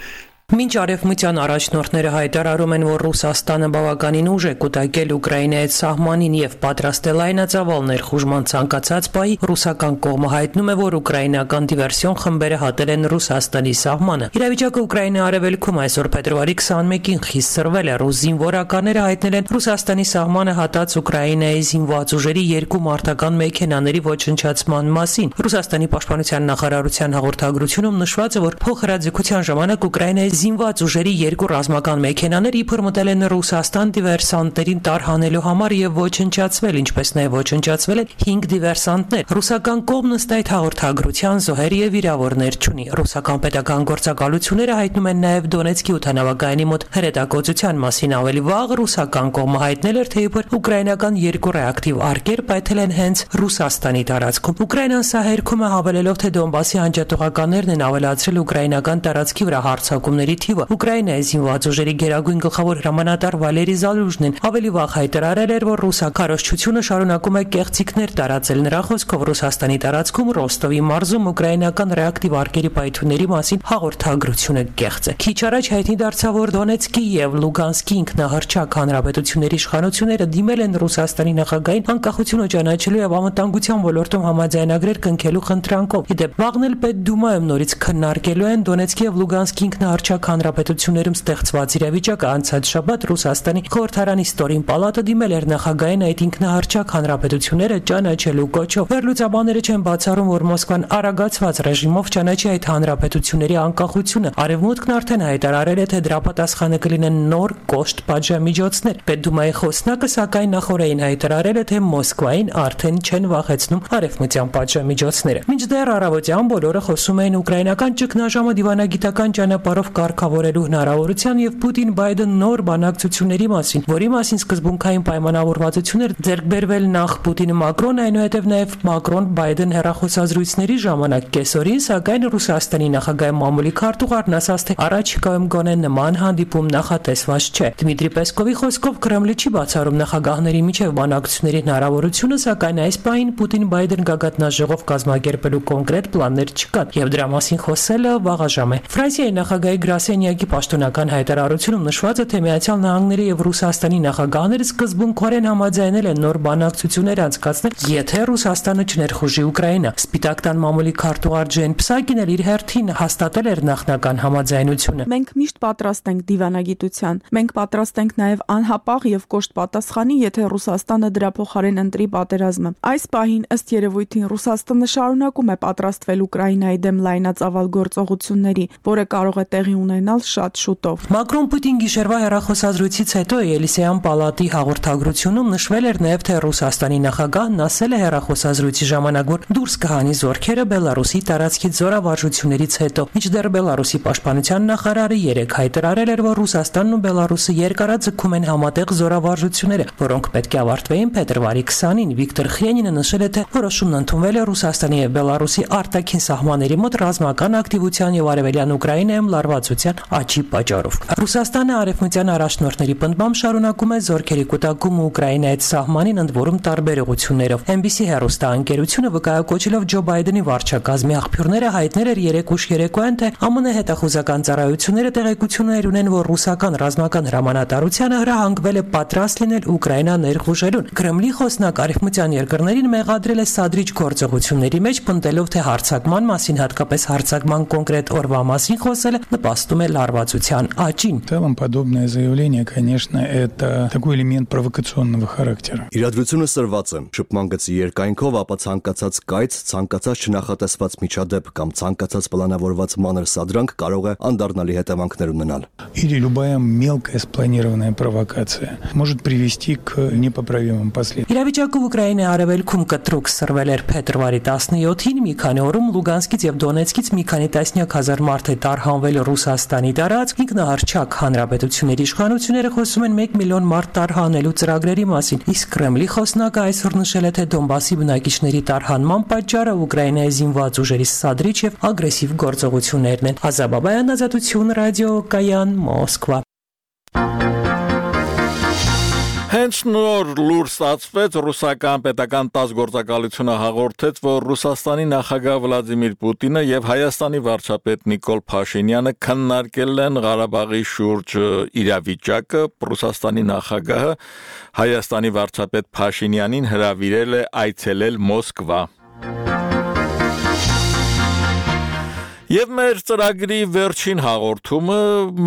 Մինչ արևմտյան առաջնորդները հայտարարում են, որ Ռուսաստանը բավականին ուժ է կուտակել Ուկրաինայի սահմանին եւ պատրաստ է լայնածավալ ներխուժման ցանկացած պահի, ռուսական կողմը հայտնում է, որ ուկրաինական դիվերսիոն խմբերը հատել են Ռուսաստանի սահմանը։ Իրավիճակը Ուկրաինայի արևելքում այսօր փետրվարի 21-ին խիստ սրվել է։ Ռուս զինվորականները հայտնել են Ռուսաստանի սահմանը հատած Ուկրաինայի զինված ուժերի 2 մարտական մեքենաների ոչնչացման մասին։ Ռուսաստանի պաշտպանության նախարարության հաղորդագրությունում նշված է, որ փոխհրաձգության ժամանակ Ուկրաինայի զինված ուժերի 2 ռազմական մեքենաներ իբր մտել են Ռուսաստան դիվերսանտներին տարհանելու համար եւ ոչնչացվել, ինչպես նաեւ ոչնչացվել են 5 դիվերսանտներ։ Ռուսական կողմն ըստ այդ հաղորդագրության զոհեր եւ վիրավորներ չունի։ Ռուսական պետական գործակալությունները հայտնում են նաեւ Դոնեցկի օդանավակայանի մոտ հրետակոծության մասին ավելի վաղ ռուսական կողմը հայտնել էր, թե իբր ուկրաինական 2 ռեակտիվ արկեր պայթել են հենց Ռուսաստանի տարածքում։ Ուկրաինան սա հերքում է հավելելով, թե Դոնբասի անջատողականներն են ավելացրել ուկրաինական տարածքի վրա հարձակումների թիվը։ Ուկրաինայի զինված ուժերի գերագույն գլխավոր հրամանատար Վալերի Զալուժնին ավելի վաղ հայտարարել էր, որ ռուսական քարոզչությունը շարունակում է կեղծիքներ տարածել։ Նրա խոսքով Ռուսաստանի տարածքում Ռոստովի մարզում ուկրաինական ռեակտիվ արկերի պայթյունների մասին հաղորդագրությունը կեղծ է։ Քիչ առաջ հայտնի դարձավ, որ Դոնեցկի եւ Լուգանսկի ինքնահռչակ հանրապետությունների իշխանությունները դիմել են Ռուսաստանի նախագահին անկախությունը ճանաչելու եւ անվտանգության ոլորտում համաձայնագրեր կնքելու խնդրանքով։ Իդեպ վաղն էլ Պետդումայում նորից քննարկելու են Դոնեցկի եւ Լուգանսկի ինքնահռչակ հանրապետություններում ստեղծված իրավիճակը։ Անցած շաբաթ Ռուսաստանի խորհրդարանի ստորին պալատը դիմել էր նախագահային այդ ինքնահռչակ հանրապետությունները ճանաչելու կոչով։ Վերլուծաբանները չեն բացառում, որ Մոսկվան արագացված ռեժիմով ճանաչի այդ հանրապետությունների անկախությունը։ Արևմուտքն արդեն հայտարարել է, թե դրա պատասխանը կլինեն նոր կոշտ պատժամիջոցներ։ Պետդումայի խոսնակը սակայն նախորդին հայտարարել է, թե Մոսկվային արդեն չեն վախեցնում արևմտյան պատժամիջոցները։ Մինչդեռ առավոտյան բոլորը խոսում էին ուկրաինական ճգնաժամը դիվանագիտական ճանապարհով կարգավորելու հնարավորության եւ Պուտին-Բայդեն նոր բանակցությունների մասին, որի մասին սկզբունքային պայմանավորվածություններ ձեռք բերվել նախ Պուտին-Մակրոն, այնուհետև նաեւ Մակրոն-Բայդեն հեռախոսազրույցների ժամանակ կեսօրին, սակայն Ռուսաստանի նախագահի մամուլի քարտուղարն ասաց, թե առաջիկայում գոնե նման հանդիպում նախատեսված չէ։ Դմիտրի Պեսկովի խոսքով Կրեմլը չի բացառում նախագահների միջև բանակցությունների հնարավորությունը, սակայն այս պահին Պուտին-Բայդեն գագաթնաժողով կազմակերպելու կոնկրետ պլաններ չկան եւ դրա մասին խոսելը վաղաժամ է։ Ֆրանսիայի նախագահի գրասենյակի պաշտոնական հայտարարությունում նշված է, թե Միացյալ Նահանգների եւ Ռուսաստանի նախագահները սկզբունքորեն համաձայնել են նոր բանակցություններ անցկացնել, եթե Ռուսաստանը չներխուժի Ուկրաինա։ Սպիտակ տան մամուլի քարտուղար Ջեն Պսակին էլ իր հերթին հաստատել էր նախնական համաձայնությունը։ Մենք միշտ պատրաստ ենք դիվանագիտության։ Մենք պատրաստ ենք նաեւ անհապաղ եւ կոշտ պատասխանի, եթե Ռուսաստանը դրա փոխարեն ընտրի պատերազմը։ Այս պահին ըստ երևույթին Ռուսաստանը շարունակում է պատրաստվել Ուկրաինայի դեմ լայնածավալ գործողությունների, որը կարող է տեղի ունենալ շատ շուտով։ Մակրոն-Պուտին գիշերվա հեռախոսազրույցից հետո Ելիսեյան պալատի հաղորդագրությունում նշվել էր նաև, թե Ռուսաստանի նախագահն ասել է հեռախոսազրույցի ժամանակ, որ դուրս կհանի զորքերը Բելարուսի տարածքից զորավարժություններից հետո։ Մինչդեռ Բելարուսի պաշտպանության նախարարը երեկ հայտարարել էր, որ Ռուսաստանն ու Բելարուսը երկարաձգում են համատեղ զորավարժությունները, որոնք պետք է ավարտվեին փետրվարի 20-ին։ Վիկտոր Խրենինը նշել է, թե որոշումն ընդունվել է Ռուսաստանի եւ Բելարուսի արտաքին սահմանների մոտ ռազմական ակտիվության եւ արևելյան Ուկրաինայում լարվածության աճի պատճառով։ Ռուսաստանը արևմտյան առաջնորդների պնդմամբ շարունակում է զորքերի կուտակումը Ուկրաինայից սահմանին, ընդ որում տարբեր ուղղություններով։ NBC հեռուստաընկերությունը վկայակոչելով Ջո Բայդենի վարչակազմի աղբյուրները հայտնել էր երեկ ուշ երեկոյան, թե ԱՄՆ հետախուզական ծառայությունները տեղեկություններ ունեն, որ ռուսական ռազմական հրամանատարությանը հրահանգվել է պատրաստ լինել Ուկրաինա ներխուժելուն։ Կրեմլի խոսնակ արևմտյան երկրներին մեղադրել է սադրիչ գործողությունների մեջ, պնդելով, թե հարձակման մասին, հատկապես հարձակման կոնկրետ օրվա մասին խոսելը նպաստում է լարվածության աճին։ В целом подобное заявление, конечно, это такой элемент провокационного характера. Իրադրությունը սրված է, շփման գծի երկայնքով, ապա ցանկացած կայծ, ցանկացած չնախատեսված միջադեպ կամ ցանկացած պլանավորված մանր սադրանք կարող է անդառնալի հետևանքներ ունենալ։ Или любая мелкая спланированная провокация может привести к непоправимым последствиям. Իրավիճակը Ուկրաինայի արևելքում կտրուկ սրվել էր փետրվարի 17-ին, մի քանի օրում Լուգանսկից եւ Դոնեցկից մի քանի տասնյակ հազար մարդ է տարհանվել Ռուսաստանի տարածք։ Ինքնահռչակ հանրապետությունների իշխանությունները խոսում են 1 միլիոն մարդ տարհանելու ծրագրերի մասին, իսկ Կրեմլի խոսնակը այսօր նշել է, թե Դոնբասի բնակիչների տարհանման պատճառը Ուկրաինայի զինված ուժերի սադրիչ եւ ագրեսիվ գործողություններն են։ Ազաբաբայան, Ազատություն ռադիո, Կայան, Մոսկվա։ Հենց նոր լուր ստացվեց, ռուսական պետական ՏԱՍՍ գործակալությունը հաղորդեց, որ Ռուսաստանի նախագահ Վլադիմիր Պուտինը եւ Հայաստանի վարչապետ Նիկոլ Փաշինյանը քննարկել են Ղարաբաղի շուրջ իրավիճակը։ Ռուսաստանի նախագահը Հայաստանի վարչապետ Փաշինյանին հրավիրել է այցելել Մոսկվա։ Եվ մեր ծրագրի վերջին հաղորդումը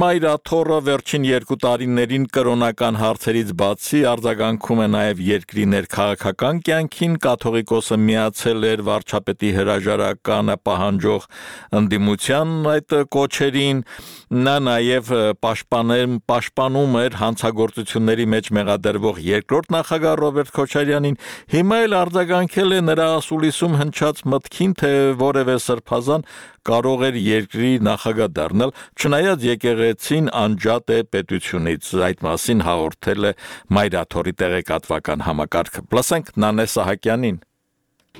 Մայրաթոռը վերջին 2 տարիներին կրոնական հարցերից բացի արձագանքում է նաև երկրի ներքաղաքական կյանքին, կաթողիկոսը միացել էր վարչապետի հրաժարականը պահանջող ընդդիմության այդ կոչերին, նա նաև պաշտպանում էր հանցագործությունների մեջ մեղադրվող երկրորդ նախագահ Ռոբերտ Քոչարյանին, հիմա էլ արձագանքել է նրա ասուլիսում հնչած մտքին, թե որևէ սրբազան կարող էր երկրի նախագահ դառնալ, չնայած եկեղեցին անջատ է պետությունից։ Այդ մասին հաղորդել է Մայրաթոռի տեղեկատվական համակարգը։ Լսենք Նանե Սահակյանին։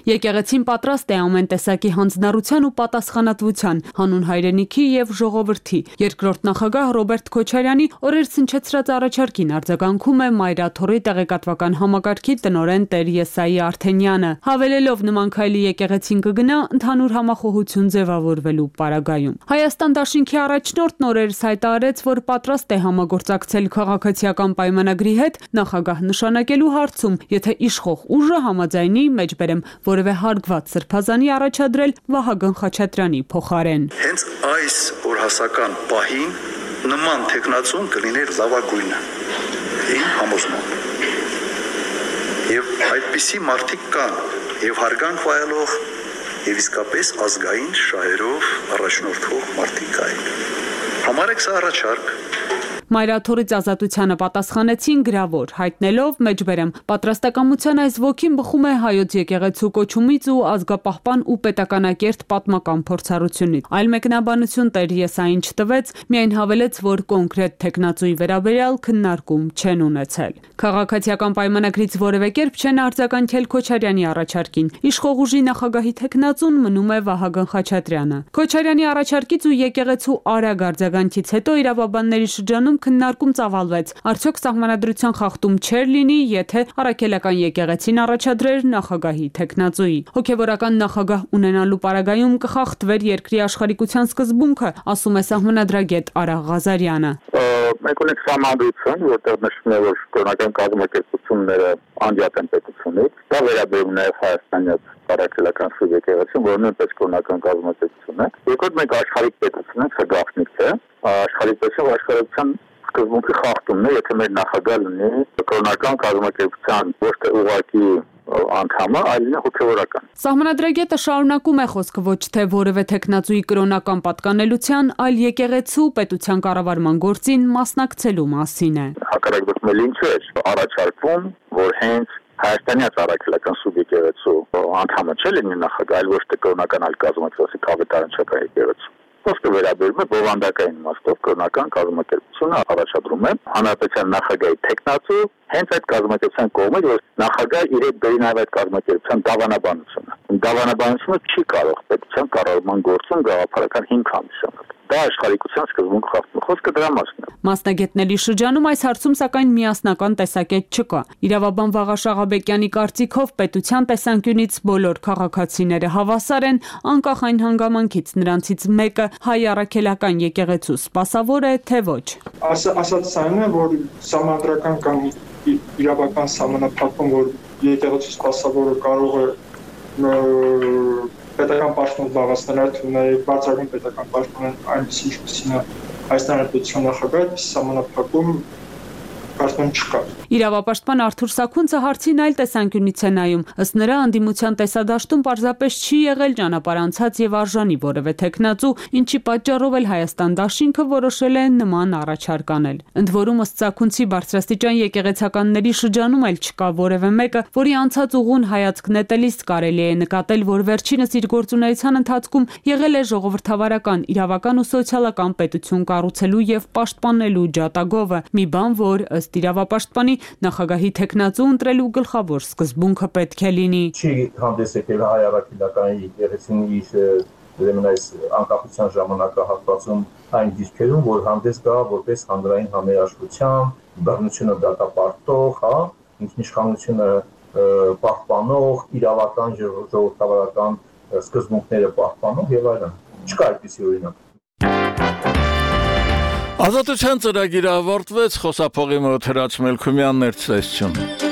Եկեղեցին պատրաստ է ամեն տեսակի հանձնառության ու պատասխանատվության, հանուն հայրենիքի եւ ժողովրդի։ Երկրորդ նախագահ Ռոբերտ Քոչարյանի օրեր սնչեցրած առաջարկին արձագանքում է Մայրաթոռի տեղեկատվական համակարգի տնօրեն Տեր Եսայի Արթենյանը, հավելելով նման քայլի եկեղեցին կգնա ընդհանուր համախոհություն ձևավորվելու պարագայում։ Հայաստան դաշինքի առաջնորդն օրերս հայտարարեց, որ պատրաստ է համագործակցել քաղաքացիական պայմանագրի հետ նախագահ նշանակելու հարցում, եթե իշխող ուժը համաձայնի մեջբերեմ որևէ հարգված սրբազանի առաջադրել Վահագն Խաչատրյանի փոխարեն։ Հենց այս օրհասական պահին նման տեխնացուն կլիներ լավագույնը։ Իմ համոզմամբ։ Եվ այդպիսի մարդիկ կան, եւ հարգանք վայելող, եւ իսկապես ազգային շահերով առաջնորդող մարդիկ կային։ Համարեք սա առաջարկ։ Մայրաթոռից ազատությանը պատասխանեցին գրավոր, հայտնելով մեջբերեմ պատրաստակամության այս ոգին բխում է հայոց եկեղեցու կոչումից ու ազգապահպան ու պետականակերտ պատմական փորձառությունից։ Այլ մեկնաբանություն Տեր Եսային չտվեց, միայն հավելեց, որ կոնկրետ տեխնացուի վերաբերյալ քննարկում չեն ունեցել։ Քաղաքացիական պայմանագրից որևէ կերպ չեն արձագանքել Քոչարյանի առաջարկին։ Իշխող ուժի նախագահի տեխնացուն մնում է Վահագն Խաչատրյանը։ Քոչարյանի առաջարկից ու եկեղեցու արագ արձագանքից հետո իրավաբանների շրջանում քննարկում ծավալվեց։ Արդյոք սահմանադրության խախտում չէր լինի, եթե առաքելական եկեղեցին առաջադրեր նախագահի տեխնացուի։ Հոգևորական նախագահ ունենալու պարագայում կխախտվեր երկրի աշխարհիկության սկզբունքը, ասում է սահմանադրագետ Արա Ղազարյանը։ Մենք ունենք սահմանադրություն, որտեղ նշվում է, որ կրոնական կազմակերպությունները անջատ են պետությունից։ Դա վերաբերում նաև հայաստանյան առաքելական սուրբ եկեղեցին, որը նույնպես կրոնական կազմակերպություն է։ Երկրորդ մենք աշխարհիկ պետություն ենք, սա գաղտնիք է։ Աշխարհիկ պետություն աշխարհության սկզբունքի խախտումն է, եթե մեր նախագահ լինի կրոնական կազմակերպության ոչ թե ուղղակի անդամը, այլն հոգևորական։ Սահմանադրագետը շարունակում է խոսքը ոչ թե որևէ տեխնացուի կրոնական պատկանելության, այլ եկեղեցու պետության կառավարման գործին մասնակցելու մասին է։ Հակառակ դեպքում ինչ է առաջարկվում, որ հենց Հայաստանի առաքելական սուբյեկտիվեցու անդամը չէ լինի նախագահ, այլ ոչ թե կրոնական այլ կազմակերպություն կավետարանչական եկեղեցու։ Խոսքը վերաբերում է բովանդակային իմաստով կրոնական կազմակերպությունը առաջադրում է հանրապետության նախագահի տեխնացու հենց այդ կազմակերպության կողմից, որ նախագահը իրեք բերի նաև այդ կազմակերպության դավանաբանությունը։ Դավանաբանությունը չի կարող պետության կառավարման գործում գաղափարական հիմք հանդիսանալ։ Դա աշխարհիկության սկզբունք խախտում է, խոսքը դրա մասն է։ Մասնագետների շրջանում այս հարցում սակայն միասնական տեսակետ չկա։ Իրավաբան Վաղաշ Աղաբեկյանի կարծիքով պետության տեսանկյունից բոլոր քաղաքացիները հավասար են, անկախ այն հանգամանքից նրանցից մեկը հայ առաքելական եկեղեցու սպասավոր է, թե ոչ։ Ասած այն է, որ սահմանադրական կամ իրավական սահմանափակում, որ եկեղեցու սպասավորը կարող է պետական պաշտոն զբաղեցնել, այդ նաև բարձրագույն պետական պաշտոն այնպես ինչպեսին է Հայաստանի պետության նախագահ, սահմանափակում կարծում չկա։ Իրավապաշտպան Արթուր Սաքունցը հարցին այլ տեսանկյունից է նայում։ Ըստ նրա անդիմության տեսադաշտում պարզապես չի եղել ճանապարհ անցած եւ արժանի որևէ տեխնացու, ինչի պատճառով էլ Հայաստան դաշինքը որոշել է նման առաջարկ անել։ Ընդ որում ըստ Սաքունցի բարձրաստիճան եկեղեցականների շրջանում էլ չկա որևէ մեկը, որի անցած ուղուն հայացք նետելիս կարելի է նկատել, որ վերջինս իր գործունեության ընթացքում եղել է ժողովրդավարական, իրավական ու սոցիալական պետություն կառուցելու եւ պաշտպանելու ջատագովը։ Մի բան, որ ըստ իրավապաշտպանի նախագահի տեխնացու ընտրելու գլխավոր սկզբունքը պետք է լինի։ Չի հանդես եկել հայ առաքելական եկեղեցիի ուրեմն այս անկախության ժամանակահատվածում այն դիրքերում, որ հանդես գա որպես հանրային համերաշխության, բռնությունը դատապարտող, ինքնիշխանությունը պահպանող, իրավական ժողովրդավարական սկզբունքները պահպանող եւ այլն։ Չկա այդպիսի օրինակ։ Ազատության ծրագիրը ավարտվեց, խոսափողի մոտ Հրաչ Մելքումյանն էր ցեզություն։